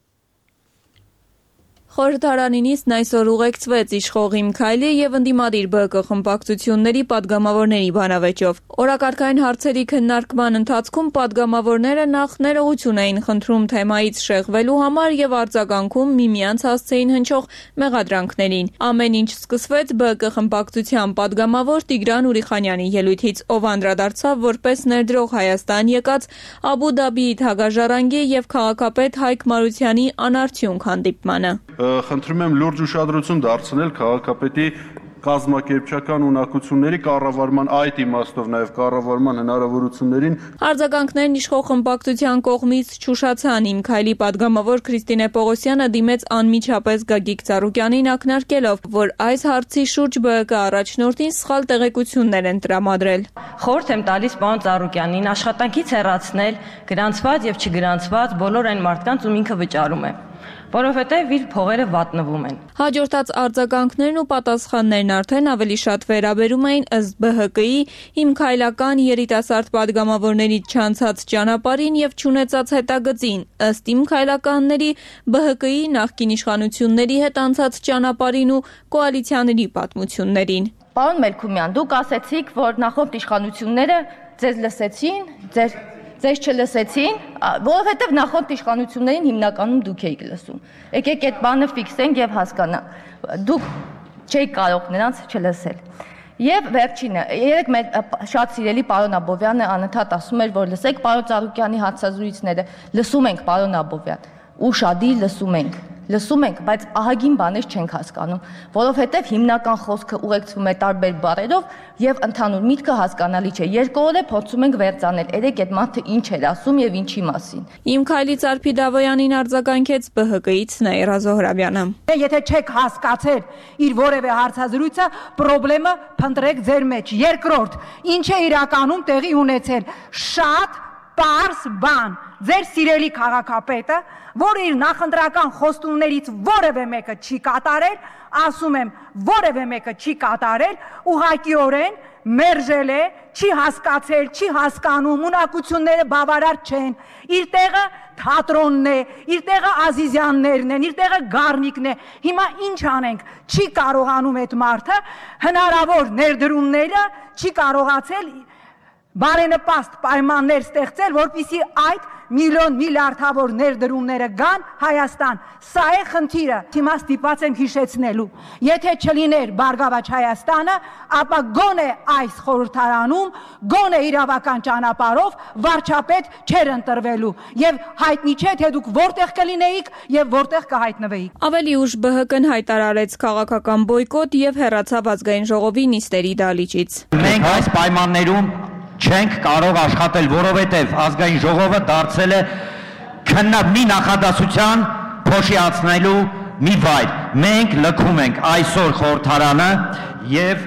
Խորհրդարանինիսն այսօր ուղեկցվեց իշխող Իմ Քայլի եւ ընդդիմադիր Բ Կ խմբակցությունների падգամավորների բանավեճով։ Օրակարգային հարցերի քննարկման ընթացքում падգամավորները նախ ներողություն էին խնդրում թեմայից շեղվելու համար եւ արձագանքում միմյանց հասցեին հնչող մեղադրանքներին։ Ամեն ինչ սկսվեց Բ Կ խմբակցության падգամավոր Տիգրան Ուրիխանյանի ելույթից, ով անդրադարձավ որպես ներդրող Հայաստան եկած Աբու Դաբիի թագաժառանգի եւ քաղաքապետ Հայկ Մարությանի անարդյունք հանդիպմանը։ Խնդրում եմ լուրջ ուշադրություն դարձնել քաղաքապետի կազմակերպչական ունակությունների կառավարման այդ իմաստով նաև կառավարման հնարավորություններին։ Արձագանքներն իշխող խմբակցության կողմից չուշացան։ Իմ Քայլի падգամավոր Քրիստինե Պողոսյանը դիմեց անմիջապես Գագիկ Ծառուկյանին ակնարկելով, որ այս հարցի շուրջ Բ Կ առաջնորդին սխալ տեղեկություններ են տրամադրել։ Խորհուրդ եմ տալիս պարոն Ծառուկյանին աշխատանքից հեռացնել գրանցված եւ չգրանցված բոլոր այն մարդկանց, ում ինքը վճարում է, որովհետև իր փողերը վատնվում են։ Հաջորդած արձագանքներն ու պատասխաններն արդեն ավելի շատ վերաբերում էին ըստ Բ Հ Կ-ի Իմ Քայլական երիտասարդ падգամավորների չանցած ճանապարհին եւ չունեցած հետագծին, ըստ Իմ Քայլականների Բ Հ Կ-ի նախկին իշխանությունների հետ անցած ճանապարհին ու կոալիցիաների պատմություններին։ Պարոն Մելքումյան, դուք ասեցիք, որ նախորդ իշխանությունները ձեզ լսեցին, ձեր Ձեզ չլսեցին, որովհետև նախորդ իշխանություններին հիմնականում դուք էիք լսում։ Եկեք այդ բանը ֆիքսենք եւ հասկանանք։ Դուք չէիք կարող նրանց չլսել։ Եվ վերջինը, երեք մեր շատ սիրելի պարոն Աբովյանը անընդհատ ասում էր, որ լսեք պարոն Ծառուկյանի հարցազրույցները, լսում ենք պարոն Աբովյան, ու շադի լսում ենք։ Լսում ենք, բայց ահագին բաներ չենք հասկանում, որովհետև հիմնական խոսքը ուղեկցվում է տարբեր բառերով եւ ընդհանուր միտքը հասկանալի չէ։ Երկու օր է փորձում ենք վերցանել, երեք այդ մարդը ինչ էր ասում եւ ինչի մասին։ Իմ Քայլի Ծարփի Դավոյանին արձագանքեց Բ Հ Կ-ից Նաիրա Զոհրաբյանը։ Եթե չեք հասկացել իր որևէ հարցազրույցը, խնդրեմը փնտրեք ձեր մեջ։ Երկրորդ, ինչ է իրականում տեղի ունեցել։ Շատ պարզ բան։ Ձեր սիրելի քաղաքապետը, որ իր նախընտրական խոստումներից որևէ մեկը չի կատարել, ասում եմ, որևէ մեկը չի կատարել, ուղղակիորեն մերժել է, չի հասկացել, չի հասկանում, ունակությունները բավարար չեն, իր տեղը թատրոնն է, իր տեղը Ազիզյաններն են, իր տեղը Գառնիկն է, հիմա ինչ անենք, չի կարողանում այդ մարդը, հնարավոր ներդրումները չի կարողացել բարենպաստ պայմաններ ստեղծել, որպեսզի այդ միլիոն միլիարդավոր ներդրումները գան Հայաստան։ Սա է խնդիրը։ Հիմա ստիպված եմ հիշեցնելու։ Եթե չլիներ Բարգավաճ Հայաստանը, ապա գոնե այս խորհրդարանում, գոնե իրավական ճանապարհով վարչապետ չէր ընտրվելու։ Եվ հայտնի չէ, թե դուք որտեղ կլինեիք եւ որտեղ կհայտնվեիք։ Ավելի ուշ Բ Հ Կ-ն հայտարարեց քաղաքական բոյկոտ եւ հեռացավ ազգային ժողովի նիստերի դահլիճից։ Մենք այս պայմաններում չենք կարող աշխատել, որովհետև ազգային ժողովը դարձել է քննած մի նախադասության փոշիացնելու մի վայր։ Մենք լքում ենք այսօր խորհրդարանը եւ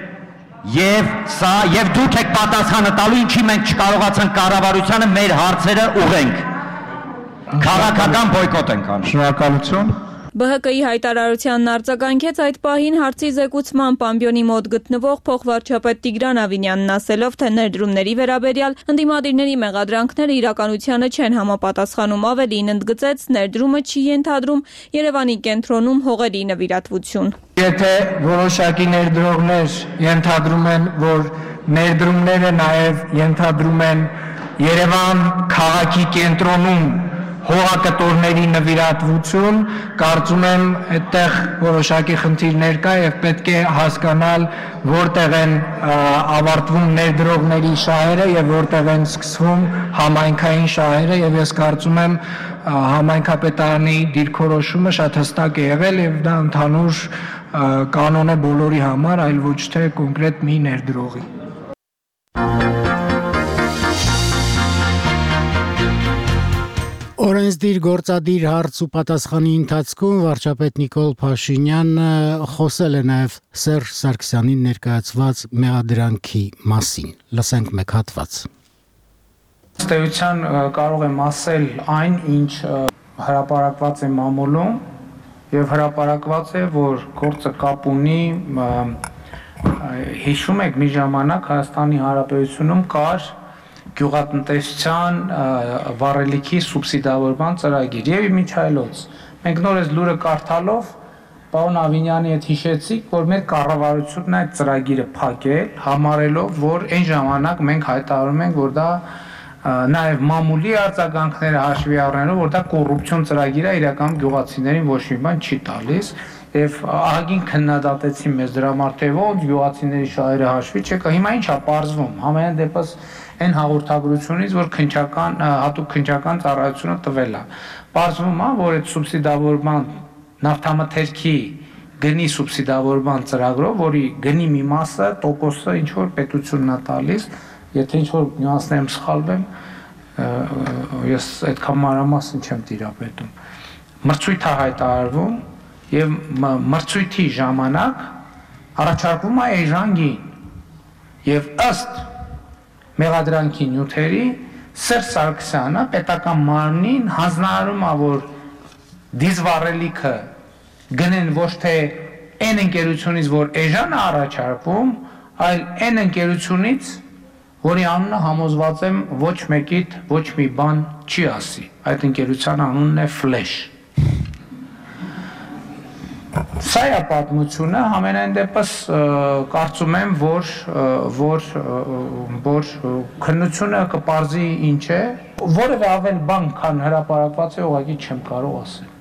եւ սա եւ դուք եք պատասխանը տալու, ինչի մենք չկարողացանք կառավարությանը մեր հարցերը ուղենք։ Քաղաքական բոյկոտ ենք անում։ Շնորհակալություն։ Բ Հ Կ-ի հայտարարությանն արձագանքեց այդ պահին հարցի զեկուցման Պամբյոնի մոտ գտնվող փոխվարչապետ Տիգրան Ավինյանն, ասելով, թե ներդրումների վերաբերյալ ընդդիմադիրների մեղադրանքները իրականությանը չեն համապատասխանում, ավելին ընդգծեց, ներդրումը չի ենթադրում Երևանի կենտրոնում հողերի նվիրատվություն։ Եթե որոշակի ներդրողներ ենթադրում են, որ ներդրումները նաև ենթադրում են Երևան քաղաքի կենտրոնում հողակտորների նվիրատվություն, կարծում եմ այդտեղ որոշակի խնդիրներ կա եւ պետք է հասկանալ որտեղ են ավարտվում ներդրողների շահերը եւ որտեղ են սկսվում համայնքային շահերը եւ ես կարծում եմ համայնքապետարանի դիրքորոշումը շատ հստակ է եղել եւ դա ընդհանուր կանոն է բոլորի համար, այլ ոչ թե կոնկրետ մի ներդրողի։ Օրենսդիր գործադիր հարց ու պատասխանի ընթացքում վարչապետ Նիկոլ Փաշինյանը խոսել է նաև Սերժ Սարգսյանին ներկայացված մեղադրանքի մասին։ Լսենք մեկ հատված։ Ըստ էության կարող եմ ասել այն, ինչ հրապարակված է մամուլում եւ հրապարակված է, որ գործը կապ ունի, հիշում եք մի ժամանակ Հայաստանի Հանրապետությունում կար գյուղատնտեսության վառելիքի սուբսիդավորման ծրագիր եւ միջայլոց։ Մենք նոր այս լուրը կարդալով պարոն Ավինյանի հետ հիշեցիք, որ մեր կառավարությունն այդ ծրագիրը փակել, համարելով, որ այն ժամանակ մենք հայտարարում ենք, որ դա նաև մամուլի արձագանքները հաշվի առնելով, որ դա կոռուպցիոն ծրագիր է, իրականում գյուղացիներին ոչ մի բան չի տալիս, եւ ահագին քննադատեցին մեզ դրա մարդը, ոնց գյուղացիների շահերը հաշվի չեկա, հիմա ինչ է պարզվում, համենայն դեպս այն հաղորդագրությունից, որ քննչական հատուկ քննչական ծառայությունը տվել է։ Պարզվում է, որ այդ սուբսիդավորման նավթամթերքի գնի սուբսիդավորման ծրագրով, որի գնի մի մասը, տոկոսը ինչ որ պետությունն է տալիս, եթե ինչ որ նյուանսներում սխալվեմ, ես այդքան մանրամասն չեմ տիրապետում։ Մրցույթ է հայտարարվում եւ մրցույթի ժամանակ առաջարկվում է էժան եւ ըստ մեղադրանքի նյութերի Սերժ Սարգսյանը պետական մարմնին հանձնարարում է, որ դիզվառելիքը գնեն ոչ թե այն ընկերությունից, որ էժան է առաջարկվում, այլ այն ընկերությունից, որի անունը համոզված եմ ոչ մեկիդ ոչ մի բան չի ասի։ Այդ ընկերության անունն է Flash։ Սա է պատմությունը, համենայն դեպս կարծում եմ, որ որ որ քննությունը կպարզի ինչ է, որևէ ավել բան, քան հրապարակված է, ուղղակի չեմ կարող ասել։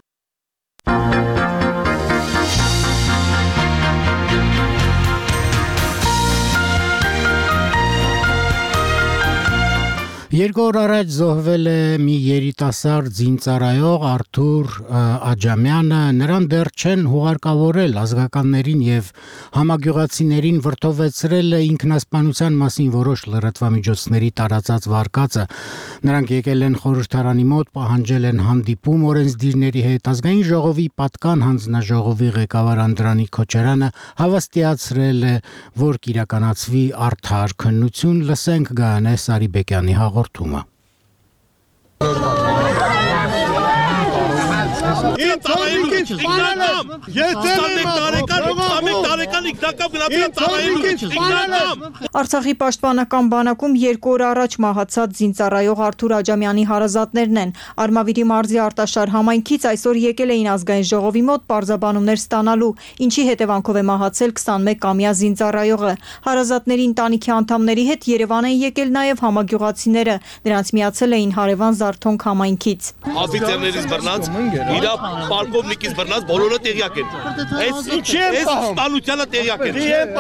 Երկու օր առաջ զոհվել է մի երիտասարդ զինծառայող Արթուր Աջամյանը, նրան դեռ չեն հուղարկավորել ազգականներին եւ համագյուղացիներին վրդովեցրել է ինքնասպանության մասին որոշ լրատվամիջոցների տարածած վարկածը։ Նրանք եկել են խորհրդարանի մոտ, պահանջել են հանդիպում օրենսդիրների հետ, ազգային ժողովի պատկան հանձնաժողովի ղեկավար Անդրանիկ Քոչարյանը հավաստիացրել է, որ կիրականացվի արդար քննություն, լսենք Գայանե Սարիբեկյանի հաղորդումը։ Արցախի պաշտպանական բանակում երկու օր առաջ մահացած զինծառայող Արթուր Աջամյանի հարազատներն են։ Արմավիրի մարզի Արտաշար համայնքից այսօր եկել էին ազգային ժողովի մոտ պարզաբանումներ ստանալու, ինչի հետևանքով է մահացել քսանմեկամյա զինծառայողը։ Հարազատների ընտանիքի անդամների հետ Երևան են եկել նաև համագյուղացիները, նրանց միացել էին հարևան Զարթոնք համայնքից։ Աֆիցերներից բռնած, իրա պարկովնիկից բռնած բոլորը տեղյակ են։ Այս այս ստանությանը տեղյակ են։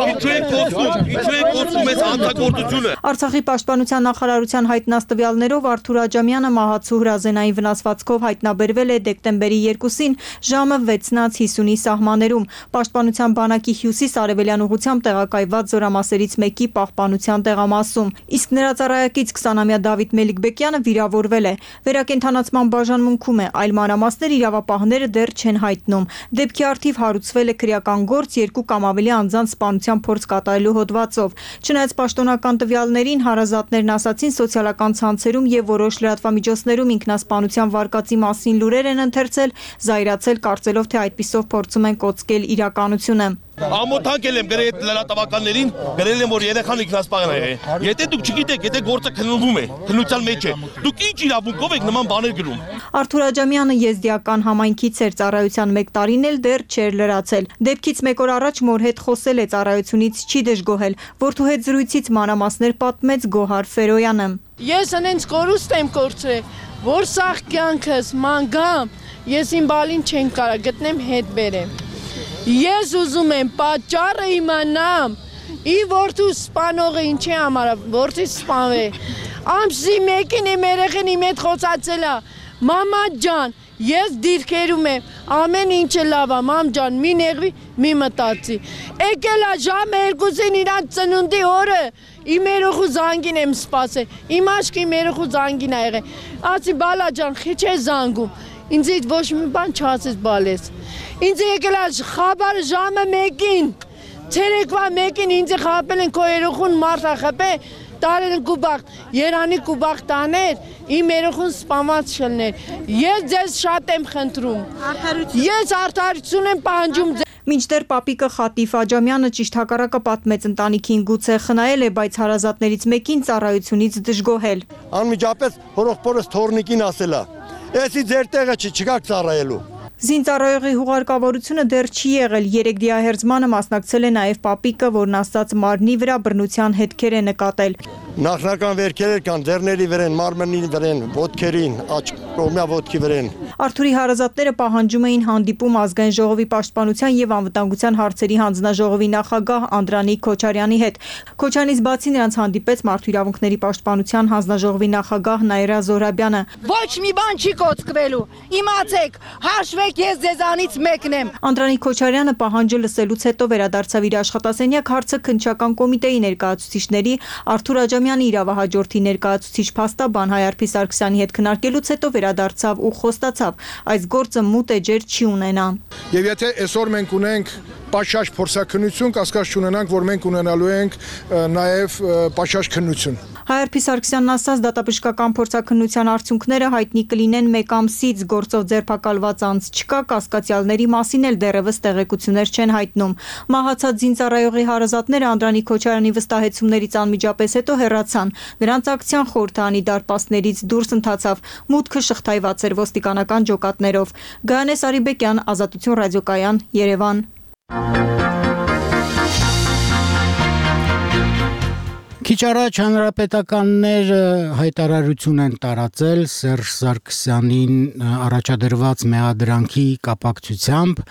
Ինչու են կոչվում, ինչու են կոչվում այս հանցագործությունը։ Արցախի պաշտպանության նախարարության հայտնած տվյալներով Արթուր Աջամյանը մահացու հրազենային վնասվածքով հայտնաբերվել է դեկտեմբերի երկուսին ժամը վեցից հիսունի սահմաններում պաշտպանության բանակի հյուսիս-արևելյան ուղղությամբ տեղակայված զորամասերից մեկի պահպանության տեղամասում։ Իսկ նրա ծառայակից քսանամյա Դավիթ Մելիքբեկյանը վիրավորվել է։ Վերակենդանացման բաժանմունքում է, այլ մանրամասներ իրավապահները դեռ չեն հայտնում։ Դեպքի առթիվ հարուցվել է քրեական գործ երկու կամ ավելի անձանց սպանության փորձ կատարելու հոդվածով։ Չնայած պաշտոնական տվյալներին, հարազատներն ասացին սոցիալական ցանցերում եւ որոշ լրատվամիջոցներում ինքնասպանության վարկածի մասին լուրեր են ընթերցել, զայրացել կարծելով, թե այդպիսով փորձում են կոծկել իրականությունը։ Ամոթանքել եմ գրել լրատվականներին, գրել եմ, որ երեխան ինքնասպան է եղել։ Եթե դուք չգիտեք, եթե գործը քննվում է, քննության մեջ է, դուք ինչ իրավունքով եք նման բաներ գրում։ Արթուր Աջամյանը եզդիական համայնքից էր, ծառայության մեկ տարին էլ դեռ չէր լրացել։ Դեպքից մեկ օր առաջ մոր հետ խոսել է, ծառայությունից չի դժգոհել, որդու հետ զրույցից մանրամասներ պատմեց Գոհար Ֆերոյանը։ Ես անենց կորուստ եմ կորցրել, որ սաղ կյանքս մանգամ, ես իմ բալին չեն կարա գտնեմ հետ բերեմ։ Ես ուզում եմ պատճառը իմանամ, ի որդու սպանողը ինչի համար, որդի սպանվե։ Ամսի մեկին իմ երեխին իմ հետ խոսացել է, մամա ջան, ես դիրքերում եմ, ամեն ինչը լավ է, մամ ջան, մի նեղվի, մի մտածի։ Եկել է ժամը երկուսին իրանց ծնունդի օրը, իմ երեխու զանգին եմ սպասել, իմ աչքի իմ երեխու զանգին ա եղել։ Ասի բալա ջան, խիչ է զանգում, ինձ ոչ մի բան չասես բալես։ Ինձ եկել է խաբարը ժամը մեկին, ցերեկվա մեկին ինձ խապել են քո երեխուն մարդ խփե, տարել են կուբախտ, Երանի կուբախտ աներ, իմ երեխուն սպանված չլներ։ Ես ձեզ շատ եմ խնդրում։ Ես արդարություն եմ պահանջում։ Մինչդեռ պապիկը Խատիֆ Աջամյանը ճիշտ հակառակը պատմեց ընտանիքին, գուցե խնայել է, բայց հարազատներից մեկին ծառայությունից դժգոհել։ Անմիջապես հորոխբորս թորնիկին ասելա, «Էսի ձեր տեղը չի, չգաք ծառայելու»։ Զինծառայողի հուղարկավորությունը դեռ չի եղել, երեք դիահերձմանը մասնակցել է նաև պապիկը, որն ասաց մարմնի վրա բռնության հետքեր է նկատել։ Նախնական վերքեր կան ձեռների վրան, մարմնի վրան, ոտքերին, աջ կողմյա ոտքի վրան։ Արթուրի հարազատները պահանջում էին հանդիպում ազգային ժողովի պաշտպանության եւ անվտանգության հարցերի հանձնաժողովի նախագահ Անդրանիկ Քոչարյանի հետ։ Քոչարյանից բացի նրանց հանդիպեց Մարդու իրավունքների պաշտպանության հանձնաժողովի նախագահ Նաիրա Զոհրաբյանը։ Ոչ մի բան չի կոծկվելու։ Իմացեք, հաշվեք, ես ձեզանից մեկն եմ։ Անդրանիկ Քոչարյանը պահանջը լսելուց հետո վերադարձավ իր աշխատասենյակ, հարցը քննչական կոմիտեի ներկայացուցիչների Արթուր Աջամյանի իրավահաջորդի ներկայացուցիչ փաստաբան Հայարփի Սարգսյանի հետ քննարկելուց հետո վերադարձավ ու խոստացավ, այս գործը մութ էջեր չի ունենա։ Եվ եթե այսօր մենք ունենք պաշարժ փորձաքննություն, կասկած չունենանք, որ մենք ունենալու ենք նաև պաշարժ քննություն։ Հայարփի Սարգսյանն ասաց, դատաբժշկական փորձաքննության արդյունքները հայտնի կլինեն մեկ ամսից, գործով ձերբակալված անձ չկա, կասկածյալների մասին էլ դեռևս տեղեկություններ չեն հայտնում։ Մահացած զինծառայողի հարազատները Անդրանիկ Քոչարյանի վստահեցումներից անմիջապես հետո հեռացան։ Նրանց ակցիան խորհրդանի դարպասներից դուրս ընթացավ, մուտքը շղթայված էր ոստիկանական ջոկատներով։ Գայանե Սարիբեկյան, Ազատություն ռադիոկայան, Երևան։ Քիչ առաջ հանրապետականներ հայտարարություն են տարածել Սերժ Սարգսյանին առաջադրված մեղադրանքի կապակցությամբ։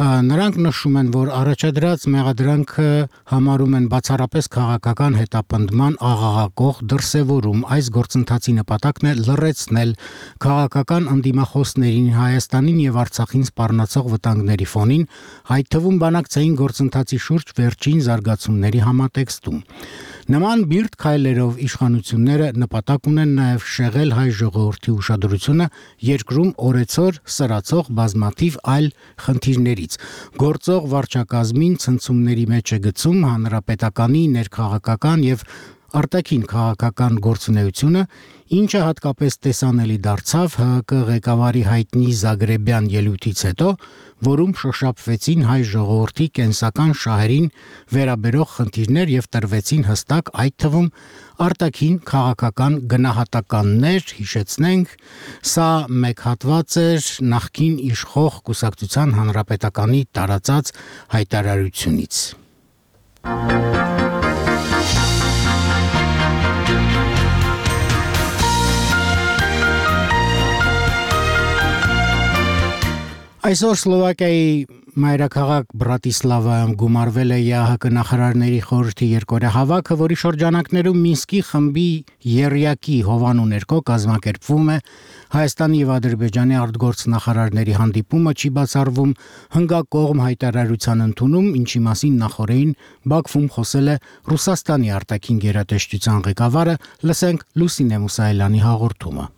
Նրանք նշում են, որ առաջադրած մեղադրանքը համարում են բացառապես քաղաքական հետապնդման աղաղակող դրսևորում։ Այս գործընթացի նպատակն է լռեցնել քաղաքական ընդդիմախոսներին Հայաստանին եւ Արցախին սպառնացող վտանգների ֆոնին, այդ թվում բանակցային գործընթացի շուրջ վերջին զարգացումների համատեքստում։ Նման բիրտ քայլերով իշխանությունները նպատակ ունեն նաև շեղել հայ ժողովրդի ուշադրությունը երկրում օրեցօր սրացող բազմաթիվ այլ խնդիրներից։ Գործող վարչակազմին ցնցումների մեջ է գցում հանրապետականի ներքաղաքական եւ արտաքին քաղաքական գործունեությունը, ինչը հատկապես տեսանելի դարձավ Հ Հ Կ ղեկավարի հայտնի Զագրեբյան ելույթից հետո, որում շոշափվեցին հայ ժողովրդի կենսական շահերին վերաբերող խնդիրներ եւ տրվեցին հստակ, այդ թվում արտաքին քաղաքական գնահատականներ, հիշեցնենք, սա մեկ հատված էր նախկին իշխող կուսակցության հանրապետականի տարածած հայտարարությունից։ Այսօր Սլովակիայի մայրաքաղաք Բրատիսլավայում գումարվել է Ե Ահ Կ նախարարների խորհրդի երկօրյա հավաքը, որի շրջանակներում Մինսկի խմբի եռյակի հովանու ներքո կազմակերպվում է Հայաստանի եւ Ադրբեջանի արտգործնախարարների հանդիպումը, չի բացառվում հնգակողմ հայտարարության ընդունում, ինչի մասին նախորդին Բաքվում խոսել է Ռուսաստանի արտաքին գերատեսչության ղեկավարը, լսենք Լուսինե Մուսայելյանի հաղորդումը։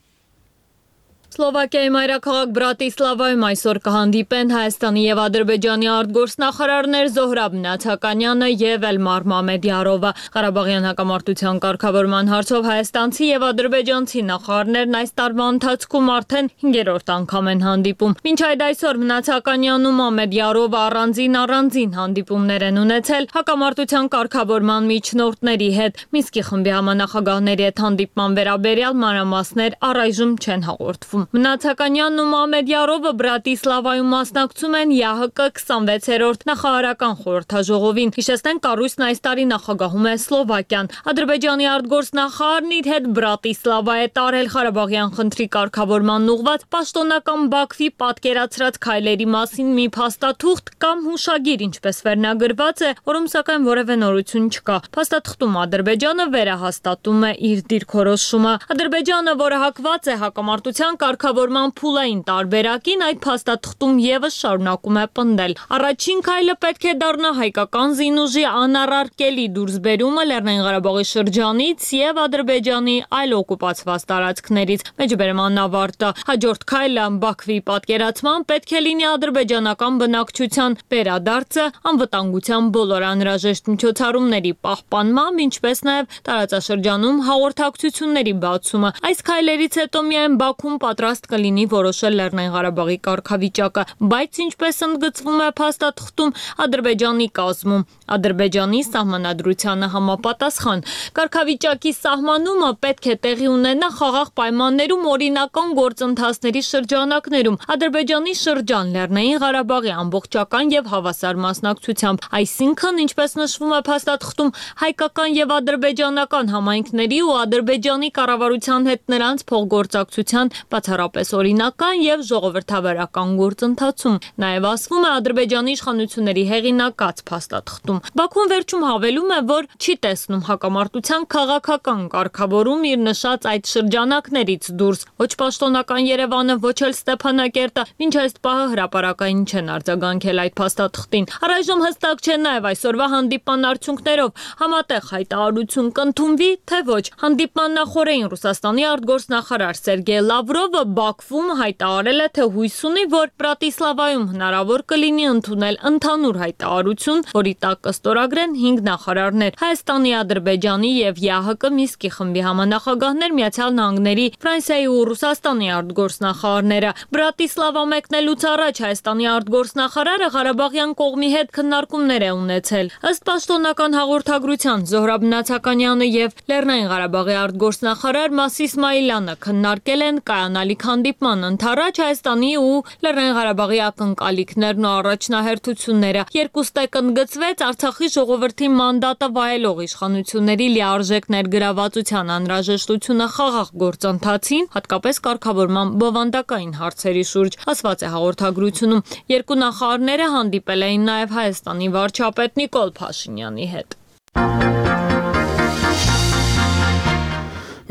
Սլովակիայի մայրաքաղաք Բրատիսլավայում այսօր կհանդիպեն Հայաստանի եւ Ադրբեջանի արտգործնախարարներ Զոհրաբ Նաթականյանը եւ Էլմար Մամեդյարովը։ Ղարաբաղյան հակամարտության կարգավորման հարցով հայաստանցի եւ ադրբեջանցի նախարարներն այս տարվա ընթացքում արդեն հինգերորդ անգամ են հանդիպում։ Մինչ այդ այսօր Նաթականյանն ու Մամեդյարովը առանձին առանձին հանդիպումներ են ունեցել հակամարտության կարգավորման միջնորդների հետ։ Մինսկի խմբի համանախագահների հետ հանդիպման վերաբերյալ մանրամասներ առայժմ չեն հաղորդվում։ Մնացականյանն ու Մամեդյարովը Բրատիսլավայում մասնակցում են ԵԱՀԿ քսանվեցերորդ նախարարական խորհրդաժողովին։ Հիշեցնենք, կառույցն այս տարի նախագահում է Սլովակիան։ Ադրբեջանի արտգործնախարարն իր հետ Բրատիսլավա է տարել Ղարաբաղյան խնդրի կարգավորման ուղղված պաշտոնական Բաքվի պատկերացրած քայլերի մասին մի փաստաթուղթ կամ հուշագիր, ինչպես վերնագրված է, որում սակայն որևէ նորություն չկա։ Փաստաթղթում Ադրբեջանը վերահաստատում է իր դիրքորոշումը։ Ադրբեջանը, որը հակված է հակամարտության կարգավորման փուլային տարբերակին, այդ փաստաթղթում եւս շարունակում է պնդել։ Առաջին քայլը պետք է դառնա հայկական զինուժի անառարկելի դուրսբերումը Լեռնային Ղարաբաղի շրջանից եւ Ադրբեջանի այլ օկուպացված տարածքներից։ Մեջբերեմ անավարտը։ Հաջորդ քայլը Բաքվի պատկերացման պետք է լինի ադրբեջանական բնակչության վերադարձը, անվտանգության բոլոր անհրաժեշտ միջոցառումների պահպանմամբ, ինչպես նաեւ տարածաշրջանում հաղորդակցությունների բացումը։ Այս քայլերից հետո միայն Բաքուն պատրաստ կլինի որոշել Լեռնային Ղարաբաղի կարգավիճակը, բայց ինչպես ընդգծվում է փաստաթղթում, Ադրբեջանի կազմում Ադրբեջանի սահմանադրությանը համապատասխան կարգավիճակի սահմանումը պետք է տեղի ունենա խաղաղ պայմաններում օրինական գործընթացների շրջանակներում Ադրբեջանի շրջան Լեռնային Ղարաբաղի ամբողջական եւ հավասար մասնակցությամբ, այսինքն, ինչպես նշվում է փաստաթղթում, հայկական եւ ադրբեջանական համայնքների ու Ադրբեջանի կառավարության հետ նրանց փոխգործակցության բացառապես օրինական եւ ժողովրդավարական գործընթացում։ Նաեւ ասվում է Ադրբեջանի իշխանությունների հեղինակած փաստաթղթում։ Բաքուն վերջում հավելում է, որ չի տեսնում հակամարտության քաղաքական կարգավորում իր նշած այդ շրջանակներից դուրս։ Ոչ պաշտոնական Երևանը, ոչ էլ Ստեփանակերտը մինչ այս պահը հրապարակային չեն արձագանքել այդ փաստաթղթին։ Առայժմ հստակ չէ նաեւ այսօրվա հանդիպման արդյունքներով համատեղ հայտարարություն կընդունվի, թե ոչ։ Հանդիպման նախօրեին Ռուսաստանի արտգործնախարար Սերգեյ Լավրովը Բաքվում հայտարարել է, թե հույս ունի, որ Բրատիսլավայում հնարավոր կլինի ընդունել ընդհանուր հայտարարություն, որի տակ կստորագրեն հինգ նախարարներ՝ Հայաստանի, Ադրբեջանի եւ ԵԱՀԿ Մինսկի խմբի համանախագահներ, Միացյալ Նահանգների, Ֆրանսիայի ու Ռուսաստանի արտգործնախարարները։ Բրատիսլավա մեկնելուց առաջ Հայաստանի արտգործնախարարը Ղարաբաղյան կողմի հետ քննարկումներ է ունեցել։ Ըստ պաշտոնական հաղորդագրության Զոհրաբ Նացականյանը եւ Լեռնային Ղարաբաղի արտգործնախարար Մասիս Իսմայիլյանը քննարկել են կայանալիք հանդիպման ընթരാճ Հայաստանի ու Լեռնային Ղարաբաղի ակնկալիքներն ու առաջնահերթությունները։ Երկուստեք ընդգծվեց Արցախի ժողովրդի մանդատը վայելող իշխանությունների լիարժեք ներգրավվածության անհրաժեշտությունը խաղաղ գործընթացին, հատկապես կարգավորման բովանդակային հարցերի շուրջ, ասված է հաղորդագրությունում։ Երկու նախարարները հանդիպել էին նաև Հայաստանի վարչապետ Նիկոլ Փաշինյանի հետ։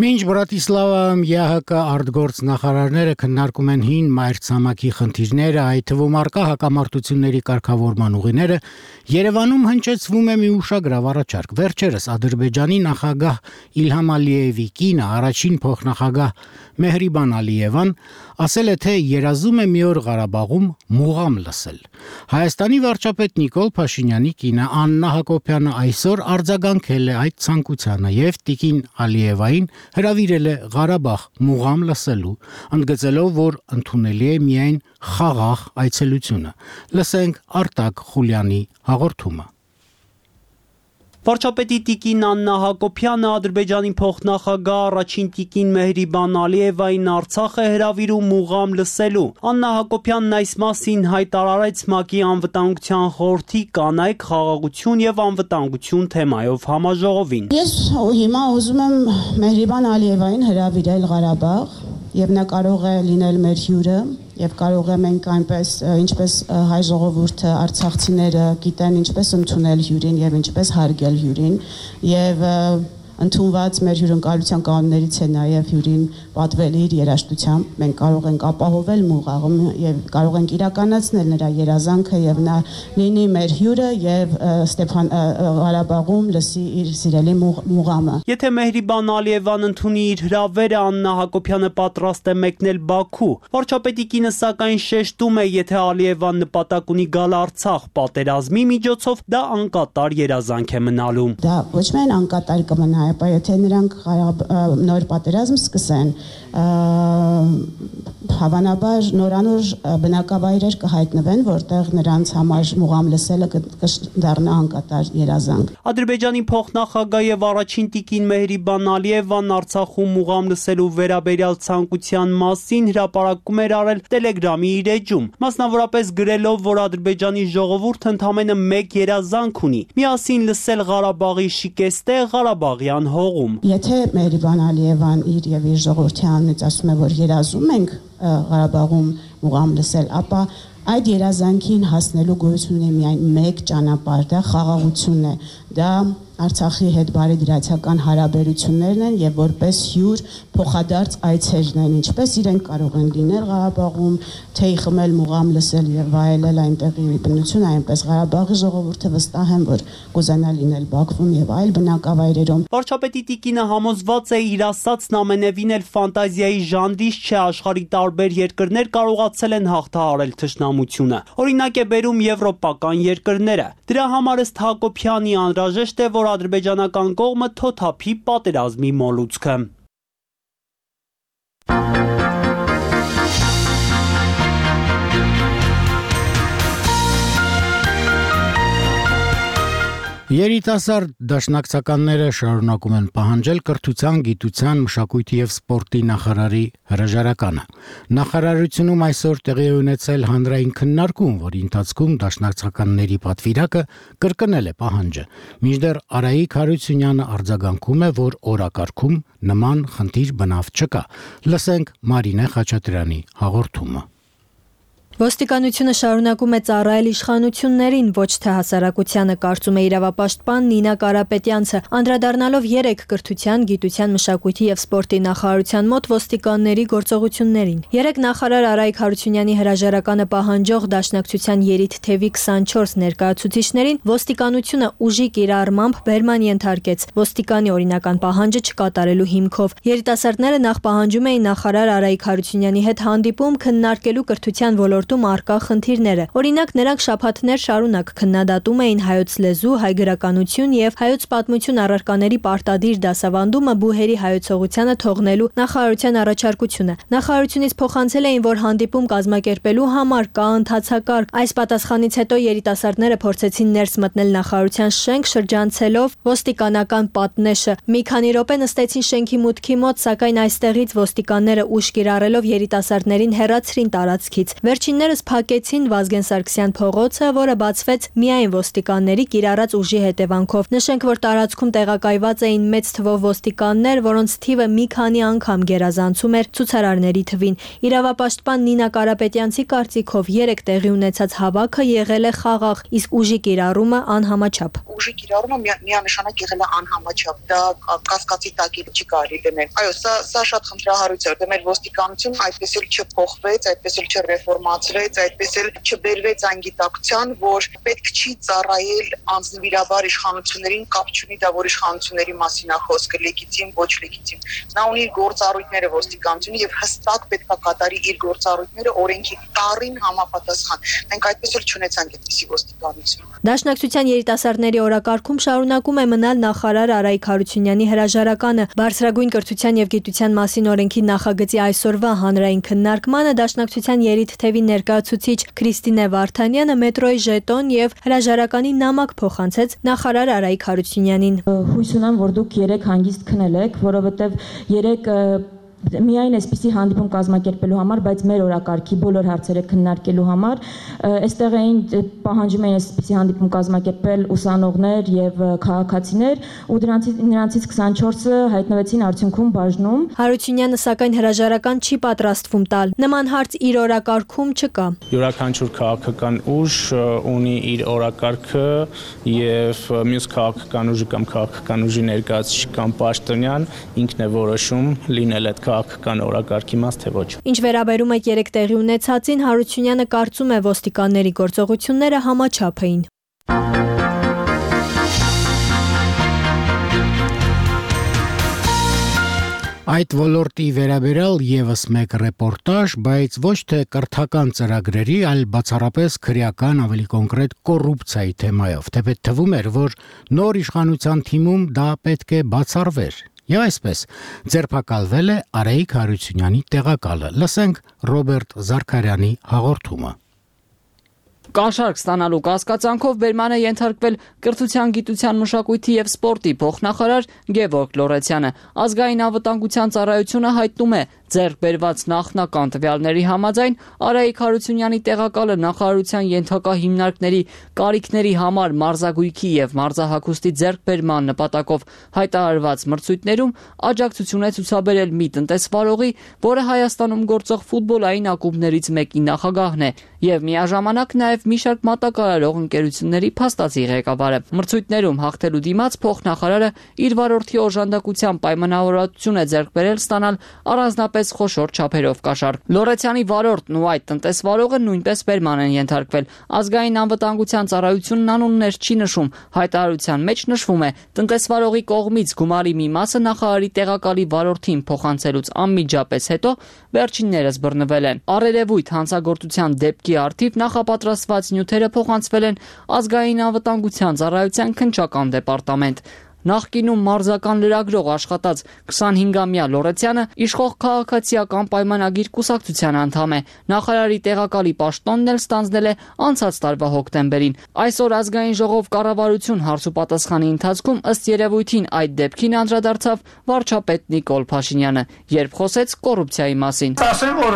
Մինչ Բրատիսլավայում ԵԱՀԿ արտգործնախարարները քննարկում են հին մայրցամաքի խնդիրները, այդ թվում առկա հակամարտությունների կարգավորման ուղիները, Երևանում հնչեցվում է մի ուշագրավ առաջարկ։ Վերջերս Ադրբեջանի նախագահ Իլհամ Ալիևի կինը, առաջին փոխնախագահ Մեհրիբան Ալիևան, ասել է, թե երազում է մի օր Ղարաբաղում մուղամ լսել։ Հայաստանի վարչապետ Նիկոլ Փաշինյանի կինը Աննա Հակոբյանը այսօր արձագանքել է այդ ցանկությանը եւ տիկին Ալիևային հրավիրել է Ղարաբաղ մուղամ լսելու, ընդգծելով, որ ընդունելի է միայն խաղաղ այցելությունը։ Լսենք Արտակ Խուլյանի հաղորդումը։ Վարչապետի տիկին Աննա Հակոբյանը Ադրբեջանի փոխնախագահ առաջին տիկին Մեհրիբան Ալիևային Արցախ է հրավիրում մուղամ լսելու։ Աննա Հակոբյանն այս մասին հայտարարեց ՄԱԿ-ի անվտանգության խորհրդի կանայք, խաղաղություն եւ անվտանգություն թեմայով համաժողովին։ Ես հիմա ուզում եմ Մեհրիբան Ալիևային հրավիրել Ղարաբաղ եւ նա կարող է լինել մեր հյուրը եւ կարող է մենք այնպես ինչպես հայ ժողովուրդը արցախցիները գիտեն ինչպես ընդունել հյուրին եւ ինչպես հարգել հյուրին եւ ընդունված մեր հյուրընկալության կանոններից է նաև հյուրին պատվել իր երաժշտությամբ։ Մենք կարող ենք ապահովել մուղաղում եւ կարող ենք իրականացնել նրա երազանքը եւ նա լինի մեր հյուրը եւ Ստեփան Ղարաբաղում լսի իր սիրելի մուղամը։ Եթե Մեհրիբան Ալիևան ընդունի իր հրավերը, Աննա Հակոբյանը պատրաստ է մեկնել Բաքու։ Վարչապետի կինը սակայն շեշտում է, եթե Ալիևան նպատակ ունի գալ Արցախ պատերազմի միջոցով, դա անկատար երազանք է մնալու։ Դա ոչ միայն անկատար կմնա, ապա եթե նրանք նոր պատերազմ սկսեն, հավանաբար նորանոր բնակավայրեր կհայտնվեն, որտեղ նրանց համար մուղամ լսելը կդառնա անկատար երազանք։ Ադրբեջանի փոխնախագահ եւ առաջին տիկին Մեհրիբան Ալիևան Արցախում մուղամ լսելու վերաբերյալ ցանկության մասին հրապարակում էր արել Telegram-ի իր էջում, մասնավորապես գրելով, որ Ադրբեջանի ժողովուրդը ընդամենը մեկ երազանք ունի՝ միասին լսել Ղարաբաղի շիկեստե Ղարաբաղյան հողում։ Եթե Մեհրիբան Ալիևան իր եւ իր ժողովրդի անունից ասում է, որ երազում ենք Ղարաբաղում մուղամ լսել, ապա այդ երազանքին հասնելու գոյություն ունի միայն մեկ ճանապարհ, դա խաղաղությունն է, դա Արցախի հետ բարեդրացական հարաբերություններն են եւ որպես հյուր փոխադարձ այցերն են, ինչպես իրենք կարող են լինել Ղարաբաղում, թեյ խմել, մուղամ լսել եւ վայելել այնտեղի բնությունը, այնպես Ղարաբաղի ժողովուրդը վստահ են, որ կուզենա լինել Բաքվում եւ այլ բնակավայրերում։ Վարչապետի տիկինը համոզված է իր ասածն ամենևին էլ ֆանտազիայի ժանրից չէ, աշխարհի տարբեր երկրներ կարողացել են հաղթահարել թշնամությունը։ Օրինակ է բերում եվրոպական երկրները։ Դրա համար ըստ Հակոբյանի անհրաժեշտ է, որ ադրբեջանական կողմը թոթափի պատերազմի մոլուցքը։ Երիտասարդ դաշնակցականները շարունակում են պահանջել կրթության, գիտության, մշակույթի եւ սպորտի նախարարի հրաժարականը։ Նախարարությունում այսօր տեղի է ունեցել հանրային քննարկում, որի ընթացքում դաշնակցականների պատվիրակը կրկնել է պահանջը։ Մինչդեռ Արայիկ Հարությունյանը արձագանքում է, որ օրակարգում նման խնդիր բնավ չկա։ Լսենք Մարինե Խաչատրյանի հաղորդումը։ Ոստիկանությունը շարունակում է ծառայել իշխանություններին, ոչ թե հասարակությանը, կարծում է իրավապաշտպան Նինա Կարապետյանցը, անդրադառնալով երեք կրթության, գիտության, մշակույթի եւ սպորտի նախարարության մոտ ոստիկանների գործողություններին։ Երեք նախարար Արայիկ Հարությունյանի հրաժարականը պահանջող դաշնակցության երիտ թևի քսանչորս ներկայացուցիչներին ոստիկանությունը ուժի կիրառմամբ բերման ենթարկեց ոստիկանի օրինական պահանջը չկատարելու հիմքով։ Երիտասարդները նախ պահանջում էին նախարար Արայիկ Հարությունյանի հետ հանդիպում քննարկելու կրթության ոլորտում արտա խնդիրները։ Օրինակ, նրանք շաբաթներ շարունակ քննադատում էին հայոց լեզու, հայ գրականություն եւ հայոց պատմություն առարկաների պարտադիր դասավանդումը բուհերի հայոցողությանը թողնելու նախարարության առաջարկությունը։ Նախարարությունից փոխանցել էին, որ հանդիպում կազմակերպելու համար կա ընթացակարգ։ Այս պատասխանից հետո երիտասարդները փորձեցին ներս մտնել նախարարության շենք, շրջանցելով ոստիկանական պատնեշը։ Մի քանի րոպե նստեցին շենքի մուտքի մոտ, սակայն այստեղից ոստիկանները ուժ կիրառելով երիտասարդներին հեռացրին տարածքից։ Վերջիններս փակեցին Վազգեն Սարգսյան փողոցը, որը բացվեց միայն ոստիկանների կիրառած ուժի հետևանքով։ Նշենք, որ տարածքում տեղակայված էին մեծ թվով ոստիկաններ, որոնց թիվը մի քանի անգամ գերազանցում էր ցուցարարների թվին։ Իրավապաշտպան Նինա Կարապետյանցի կարծիքով երեք տեղի ունեցած հավաքը եղել է խաղաղ, իսկ ուժի կիրառումը անհամաչափ։ Ուժի կիրառումը միանշանակ եղել է անհամաչափ, դա կասկածի տակ չի կարելի դնել։ Այո, սա սա շատ խնդրահարույց է, դե մեր ոստիկանությունը այդպես էլ չփոխվեց, այդպես էլ չրեֆորմացրեց, այդպես էլ չբերվեց այն գիտակցության, որ պետք չի ծառայել անձնվիրաբար իշխանություններին, կապ չունի դա որ իշխանությունների մասին է խոսքը, լեգիտիմ, ոչ լեգիտիմ։ Նա ունի գործառույթները ոստիկանությունը եւ հստակ պետք է կատարի իր գործառույթները օրենքի տառին համապատասխան։ Մենք այդպես էլ չունեցանք այդպիսի ոստիկանություն։ Դաշնակցության երիտասարդների օրակարգում շարունակում է մնալ նախարար Արայիկ Հարությունյանի հրաժարականը։ Բարձրագույն կրթության եւ գիտության մասին օրենքի նախագծի այսօրվա հանրային քննարկմանը դաշնակցության երիտ թևի ներկայացուցիչ Քրիստինե Վարդանյանը մետրոյի ժետոն եւ հրաժարականի նամակ փոխանցեց նախարար Արայիկ Հարությունյանին։ Հույս ունեմ, որ դուք երեք հանգիստ քնելեք, որովհետեւ երեք միայն այսպիսի հանդիպում կազմակերպելու համար, բայց մեր օրակարգի բոլոր հարցերը քննարկելու համար այստեղ էին պահանջում էին այսպիսի հանդիպում կազմակերպել ուսանողներ եւ քաղաքացիներ ու դրանցից նրանցից քսանչորսը հայտնվեցին արդյունքում բաժնում։ Հարությունյանը սակայն հրաժարական չի պատրաստվում տալ։ Նման հարց իր օրակարգում չկա։ Յուրաքանչյուր քաղաքական ուժ ունի իր օրակարգը եւ մյուս քաղաքական ուժի կամ քաղաքական ուժի ներկայացուցիչ կամ պաշտոնյան ինքն է որոշում լինել այդ քաղաքական օրակարգի մաս թե ոչ։ Ինչ վերաբերում է երեք տեղի ունեցածին, Հարությունյանը կարծում է ոստիկանների գործողությունները համաչափ էին։ Այդ ոլորտի վերաբերյալ եւս մեկ ռեպորտաժ, բայց ոչ թե կրթական ծրագրերի, այլ բացառապես քրեական, ավելի կոնկրետ կոռուպցիայի թեմայով։ Թեպետ թվում էր, որ նոր իշխանության թիմում դա պետք է բացառվեր։ Եվ այսպես ձերբակալվել է Արայիկ Հարությունյանի տեղակալը։ Լսենք Ռոբերտ Զարքարյանի հաղորդումը։ Կաշառք ստանալու կասկածանքով բերման է ենթարկվել կրթության, գիտության, մշակույթի եւ սպորտի փոխնախարար Գևորգ Լորեցյանը։ Ազգային անվտանգության ծառայությունը հայտնում է, ձեռք բերված նախնական տվյալների համաձայն Արայիկ Հարությունյանի տեղակալը նախարարության ենթակա հիմնարկների կարիքների համար մարզագույքի եւ մարզահագուստի ձեռքբերման նպատակով հայտարարված մրցույթներում աջակցություն է ցուցաբերել մի տնտեսվարողի, որը Հայաստանում գործող ֆուտբոլային ակումբներից մեկի նախագահն է եւ միաժամանակ նաեւ մի շարք մատակարարող ընկերությունների փաստացի ղեկավարը։ Մրցույթներում հաղթելու դիմաց փոխնախարարը իր վարորդի օժանդակության պայմանավորվածություն է ձեռք բերել ստանալ առանձնապես խոշոր չափերով կաշառք։ Լորեցյանի վարորդն ու այդ տնտեսվարողը նույնպես բերման են ենթարկվել։ Ազգային անվտանգության ծառայությունն անուններ չի նշում, հայտարարության մեջ նշվում է տնտեսվարողի կողմից գումարի մի մասը նախարարի տեղակալի վարորդին փոխանցելուց անմիջապես հետո վերջիններս բռնվել են։ Առերևույթ հանցագործության դեպքի առթիվ նախապատրաստված նյութերը փոխանցվել են ազգային անվտանգության ծառայության քննչական դեպարտամենտ։ Նախկինում մարզական լրագրող աշխատած քսանհինգամյա Լորեցյանը իշխող քաղաքացիական պայմանագիր կուսակցության անդամ է։ Նախարարի տեղակալի պաշտոնն էլ ստանձնել է անցած տարվա հոկտեմբերին։ Այսօր ազգային ժողով կառավարություն հարցուպատասխանի ընթացքում ըստ երևույթին այդ դեպքին անդրադարձավ վարչապետ Նիկոլ Փաշինյանը, երբ խոսեց կոռուպցիայի մասին։ Ասեմ, որ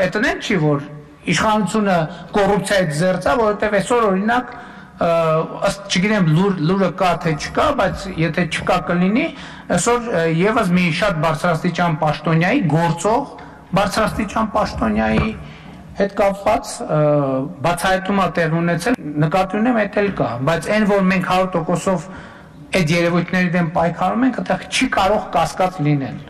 էտնեն չի, որ իշխանությունը կոռուպցիայից զերծ է, որովհետև այսօր օրինակ ըստ չգիտեմ լուրը կա թե չկա, բայց եթե չկա կլինի, այսօր եւս մի շատ բարձրաստիճան պաշտոնյայի գործող բարձրաստիճան պաշտոնյայի հետ կապված բացահայտումա տեղ ունեցել, նկատի ունեմ այդ էլ կա, բայց այն որ մենք հարյուր տոկոսով այդ երևույթների դեմ պայքարում ենք, այդտեղ չի կարող կասկած լինել։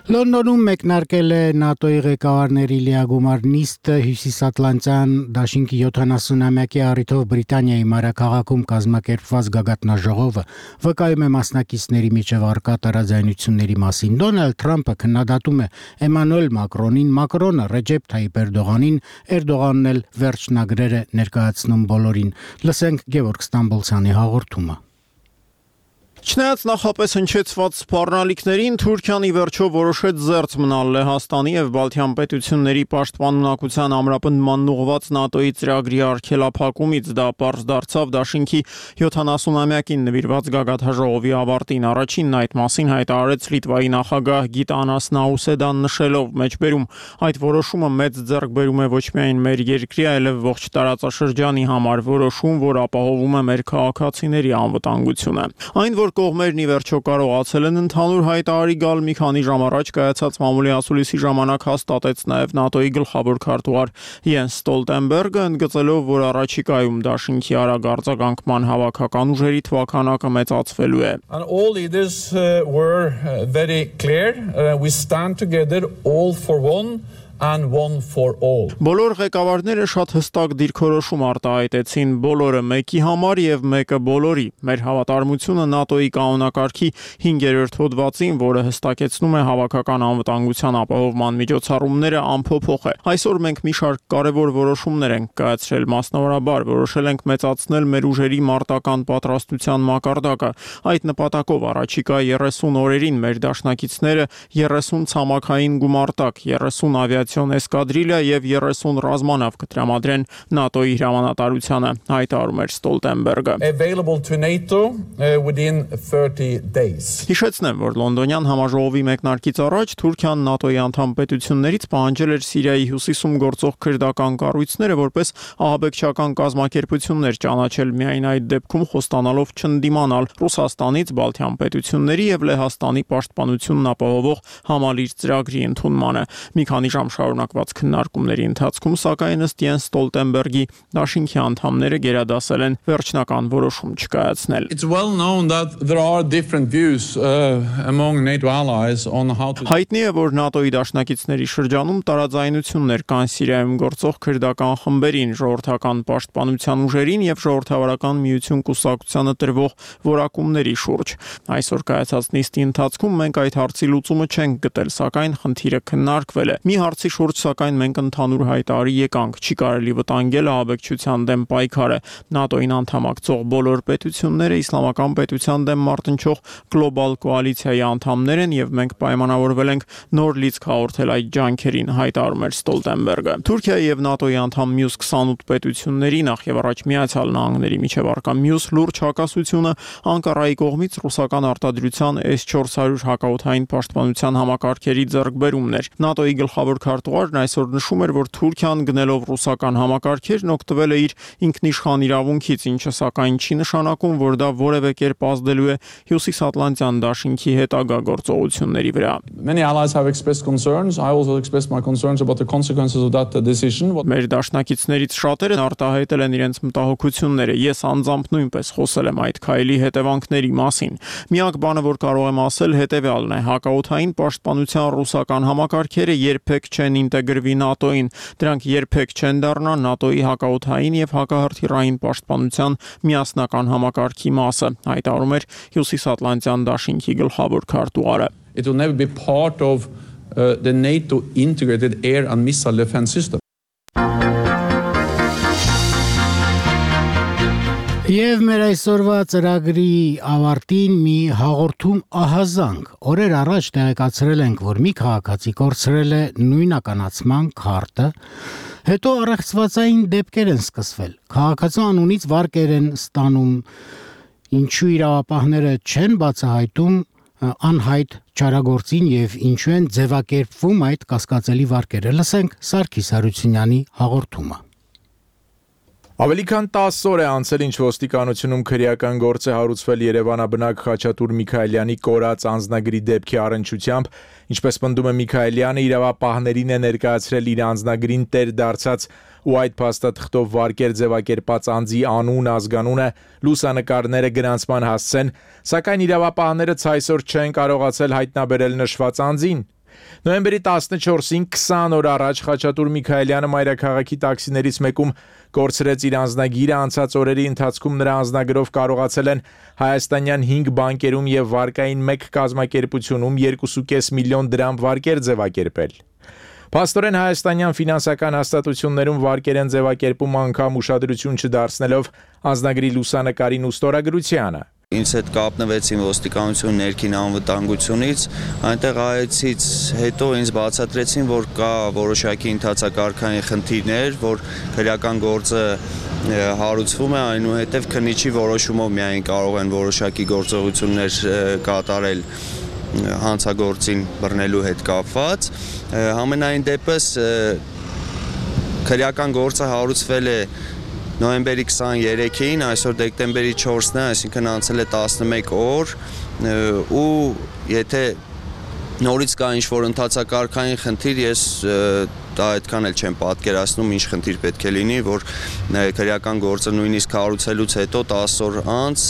Լոնդոնում մեկնարկել է ՆԱՏՕ-ի ղեկավարների լիագումար նիստը Հյուսիսատլանտյան դաշինքի յոթանասունամյակի առիթով Բրիտանիայի մայրաքաղաքում կազմակերպված գագաթնաժողովը վկայում է մասնակիցների միջև առկա տարաձայնությունների մասին։ Դոնալդ Թրամփը քննադատում է Էմանուել Մակրոնին, Մակրոնը Ռեջեփ Թայիպ Էրդողանին, Էրդողանն էլ վերջնագրեր է ներկայացնում բոլորին։ Լսենք Գևորգ Ստամբոլցյանի հաղորդումը։ Չնայած նախապես հնչեցված սպառնալիքներին, Թուրքիան ի վերջո որոշեց զերծ մնալ Լեհաստանի եւ Բալթյան պետությունների պաշտպանունակության ամրապնդմանն ուղղված ՆԱՏՕ-ի ծրագրի արգելափակումից։ Դա պարզ դարձավ դաշինքի յոթանասունամյակին նվիրված գագաթնաժողովի ավարտին։ Առաջինն այդ մասին հայտարարեց Լիտվայի նախագահ Գիտանաս Նաուսեդան, նշելով մեջբերում. այդ որոշումը մեծ ձեռքբերում է ոչ միայն մեր երկրի, այլև ողջ տարածաշրջանի համար, որոշում, որ ապահովում է մեր քաղաքացիների անվտանգությունը։ Այն, որ կողմերն ի վերջո կարողացել են ընդհանուր հայտարարի գալ մի քանի ժամ առաջ կայացած մամուլի ասուլիսի ժամանակ հաստատեց նաև ՆԱՏՕ-ի գլխավոր քարտուղար Յենս Ստոլտենբերգը, ընդգծելով, որ առաջիկայում դաշինքի արագ արձագանքման հավաքական ուժերի թվաքանակը մեծացվելու է։ And all leaders uh, were uh, very clear. Uh, we stand together all for one. And one for all. Բոլոր ղեկավարները շատ հստակ դիրքորոշում արտահայտեցին բոլորը մեկի համար եւ մեկը բոլորի։ Մեր հավատարմությունը ՆԱՏՕ-ի կանոնակարգի հինգերորդ հոդվածին, որը հստակեցնում է հավաքական անվտանգության ապահովման միջոցառումները, անփոփոխ է։ Այսօր մենք մի շարք կարևոր որոշումներ ենք կայացրել, մասնավորաբար որոշել ենք մեծացնել մեր ուժերի մարտական պատրաստության մակարդակը։ Այդ նպատակով առաջիկա երեսուն օրերին մեր դաշնակիցները երեսուն ցամաքային գումարտակ, երեսուն ավիա էսկադրիլիա եւ երեսուն ռազմանավ կտրամադրեն ՆԱՏՕ-ի հրամանատարությանը, հայտարարում էր Ստոլտենբերգը։ Available to NATO uh, within thirty days. Հիշեցնեմ, որ լոնդոնյան համաժողովի մեկնարկից առաջ Թուրքիան ՆԱՏՕ-ի անդամ պետություններից պահանջել էր Սիրիայի հյուսիսում գործող քրդական կառույցները որպես ահաբեկչական կազմակերպություններ ճանաչել, միայն այդ դեպքում խոստանալով չընդդիմանալ Ռուսաստանից, Բալթյան պետությունների եւ Լեհաստանի պաշտպանությունն ապահովող համալիր ծրագրի ընդունմանը։ Մի քանի ժամ շարունակված քննարկումների ընթացքում, սակայն ըստ Յենս Ստոլտենբերգի դաշինքի անդամները գերադասել են վերջնական որոշում չկայացնել։ It's well known that there are different views uh, among NATO allies on how to Հայտնի է, որ ՆԱՏՕ-ի դաշնակիցների շրջանում տարաձայնություններ կան Սիրիայում գործող քրդական խմբերին, ժողովրդական պաշտպանության ուժերին եւ ժողովրդավարական միություն կուսակցությանը տրվող որակումների շուրջ։ Այսօր կայացած նիստի ընթացքում մենք այդ հարցի լուծումը չենք գտել, սակայն խնդիրը քննարկվել է։ Մի հարցի շուրջ, սակայն մենք ընդհանուր հայտարարի եկանք, չի կարելի վտանգել ահաբեկչության դեմ պայքարը։ ՆԱՏՕ-ին անդամակցող բոլոր պետությունները իսլամական պետության դեմ մարտնչող գլոբալ կոալիցիայի անդամներ են եւ մենք պայմանավորվել ենք նոր լիցք հաղորդել այդ ջանքերին, հայտարարում էր Ստոլտենբերգը։ Թուրքիայի եւ ՆԱՏՕ-ի անդամ մյուս քսանութ պետությունների նախ եւ առաջ Միացյալ Նահանգների միջև առկա մյուս լուրջ հակասությունը Անկարայի կողմից ռուսական արտադրության էս չորս հարյուր հակաօդային պաշտպանության համակարգերի ձեռքբերումն էր։ ՆԱՏՕ-ի գլխավոր քարտուղարն այսօր նշում էր, որ Թուրքիան գնելով ռուսական համակարգերն օգտվել է իր ինքնիշխան իրավունքից, ինչը սակայն չի նշանակում, որ դա որևէ կերպ ազդելու է Հյուսիսատլանտյան դաշինքի հետագա գործողությունների վրա։ Many allies have expressed concerns. I also expressed my concerns about the consequences of that decision. Մեր դաշնակիցներից շատերը արտահայտել են իրենց մտահոգությունները։ Ես անձամբ նույնպես խոսել եմ այդ քայլի հետևանքների մասին։ Միակ բանը, որ կարող եմ ասել, հետևյալն է. հակաօդային պաշտպանության ռուսական համակարգերը երբեք չեն ինտեգրվի ՆԱՏՕ-ին։ Դրանք երբեք չեն դառնա ՆԱՏՕ-ի հակաօդային եւ հակահրթիռային պաշտպանության միասնական համակարգի մասը, հայտարարում էր Հյուսիսատլանտյան դաշինքի գլխավոր քարտուղարը։ It will never be part of uh, the NATO integrated air and missile defense system. Եվ մեր այսօրվա ծրագրի ավարտին մի հաղորդում ահազանգ։ Օրեր առաջ տեղեկացրել ենք, որ մի քաղաքացի կորցրել է նույնականացման քարտը, հետո առեղծվածային դեպքեր են սկսվել։ Քաղաքացու անունից վարկեր են ստանում, ինչու իրավապահները չեն բացահայտում անհայտ չարագործին եւ ինչու են ձևակերպվում այդ կասկածելի վարկերը։ Լսենք Սարգիս Հարությունյանի հաղորդումը։ Ավելի քան տասը օր է անցել, ինչ ոստիկանությունում քրեական գործ է հարուցվել Երևանաբնակ Խաչատուր Միքայելյանի կորած անձնագրի դեպքի առնչությամբ, ինչպես պնդում է Միքայելյանը, իրավապահներին է ներկայացրել իր անձնագրին տեր դարձած ու այդ փաստաթղթով վարկեր ձևակերպած անձի անուն, ազգանունը, լուսանկարները գրանցման հասցեն, սակայն իրավապահները ցայսօր չեն կարողացել հայտնաբերել նշված անձին։ Նոյեմբերի տասնչորսին քսան օր առաջ Խաչատուր Միքայելյանը մայրաքաղաքի տաքսիներից մեկում կորցրեց իր անձնագիրը, անցած օրերի ընթացքում նրա անձնագրով կարողացել են հայաստանյան հինգ բանկերում եւ վարկային մեկ կազմակերպությունում երկու կόμμα պենս միլիոն դրամ վարկեր ձևակերպել։ Փաստորեն հայաստանյան ֆինանսական հաստատություններում վարկեր են ձևակերպում անգամ ուշադրություն չդարձնելով անձնագրի լուսանկարին ու ստորագրությանը։ Ինձ հետ կապնվեցին ոստիկանություն ներքին անվտանգությունից, այնտեղ այցից հետո ինձ բացատրեցին, որ կա որոշակի ընթացակարգային խնդիրներ, որ քրեական գործը հարուցվում է, այնուհետև քննիչի որոշումով միայն կարող են որոշակի գործողություններ կատարել հանցագործին բռնելու հետ կապված։ Համենայն դեպս քրեական գործը հարուցվել է նոյեմբերի քսաներեքին, այսօր դեկտեմբերի չորսն է, այսինքն անցել է տասնմեկ օր, ու եթե նորից կա ինչ-որ ընթացակարգային խնդիր, ես դա այդքան էլ չեմ պատկերացնում, ինչ խնդիր պետք է լինի, որ քրեական գործը նույնիսկ հարուցելուց հետո տասը օր անց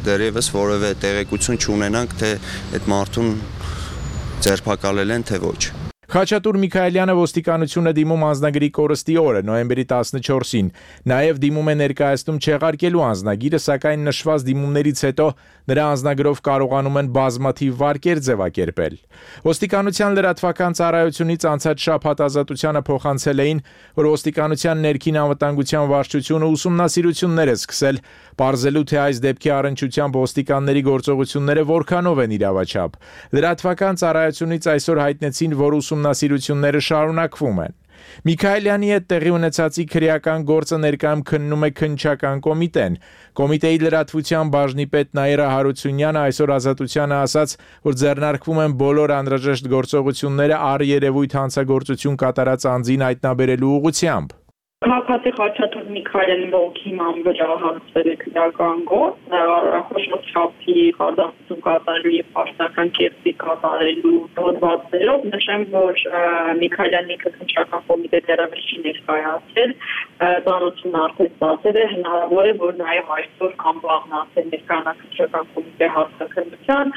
դեռևս որևէ տեղեկություն չունենանք, թե այդ մարդուն ձերբակալել են, թե ոչ։ Խաչատուր Միքայելյանը ոստիկանությունը դիմում անձնագրի կորստի օրը, նոյեմբերի տասնչորսին, նաև դիմում է ներկայացնում չեղարկելու անձնագիրը, սակայն նշված դիմումներից հետո նրա անձնագրով կարողանում են բազմաթիվ վարկեր ձևակերպել։ Ոստիկանության լրատվական ծառայությունից անցած շաբաթ Ազատությանը փոխանցել էին, որ ոստիկանության ներքին անվտանգության վարչությունը ուսումնասիրություններ է սկսել, պարզելու թե այս դեպքի առնչությամբ ոստիկանների գործողությունները որքանով են իրավաչափ։ Լրատվական ծառայությունից այսօր հայտնեցին, որ ուսումնասիրությունները շարունակվում են։ Միքայելյանի հետ տեղի ունեցածի քրեական գործը ներկայում քննում է քննչական կոմիտեն։ Կոմիտեի լրատվության բաժնի պետ Նաիրա Հարությունյանը այսօր Ազատությանը ասաց, որ ձեռնարկվում են բոլոր անհրաժեշտ գործողությունները առերևույթ հանցագործություն կատարած անձին հայտնաբերելու ուղղությամբ։ Քաղաքացի Խաչատուր Միքայելի ողքի մամբրա հարցել է քրական գործ, խոշոր չափի խարդախություն կատարելու եւ պաշտական կերպի կատարելու հոդվածներով նշեմ, որ Միքայելյանի քննչական կոմիտեի դերավերში ներկայացել, ծանոթություն արդեն ստացել է, հնարավոր է, որ նաեւ այսօր անբաղնացել ներկայացական կոմիտեի հարցաքննության,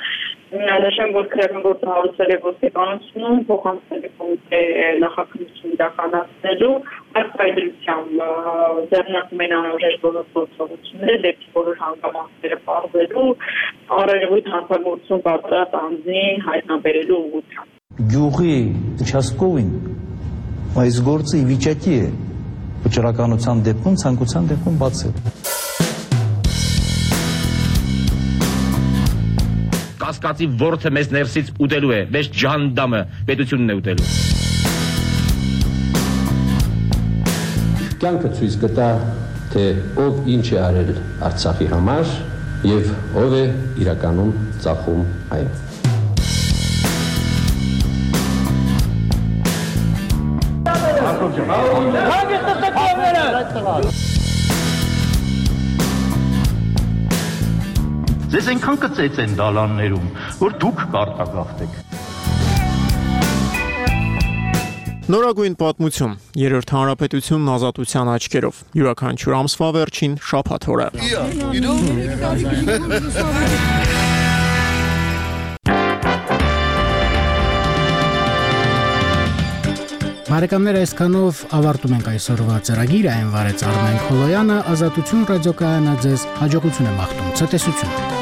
նշեմ, որ քրական գործը հարուցել է ոստիկանությունում, փոխանցել է կոմիտեի նախաքննություն իրականացնելու այդ ձեռնարկում են անհրաժեշտ բոլոր գործողությունները դեպի բոլոր հանգամանքները պարզելու, առերևույթ հանցագործություն կատարած անձին հայտնաբերելու ուղղությամբ։ Գյուղի участковին այս գործը ի վիճակի է վճռականության դեպքում, ցանկության դեպքում բացել։ Կասկածի ворթը մեզ ներսից ուտելու է, մեզ ջանդամը պետությունն է ուտելու։ Կյանքը ցույց կտա, թե ով ինչ է արել Արցախի համար եւ ով է իրականում ծախում այն։ Ձեզ այնքան կծեց են դալաններում, որ դուք կարտագաղթեք։ Նորագույն պատմություն, երրորդ հանրապետությունն ազատության աչքերով, յուրաքանչյուր ամսվա վերջին շաբաթ օրը։ Բարեկամներ, այսքանով ավարտում ենք այսօրվա ծրագիրը, այն վարեց Արմեն Խոլոյանը, Ազատություն ռադիոկայանը ձեզ հաջողություն է մաղթում, ցտեսություն։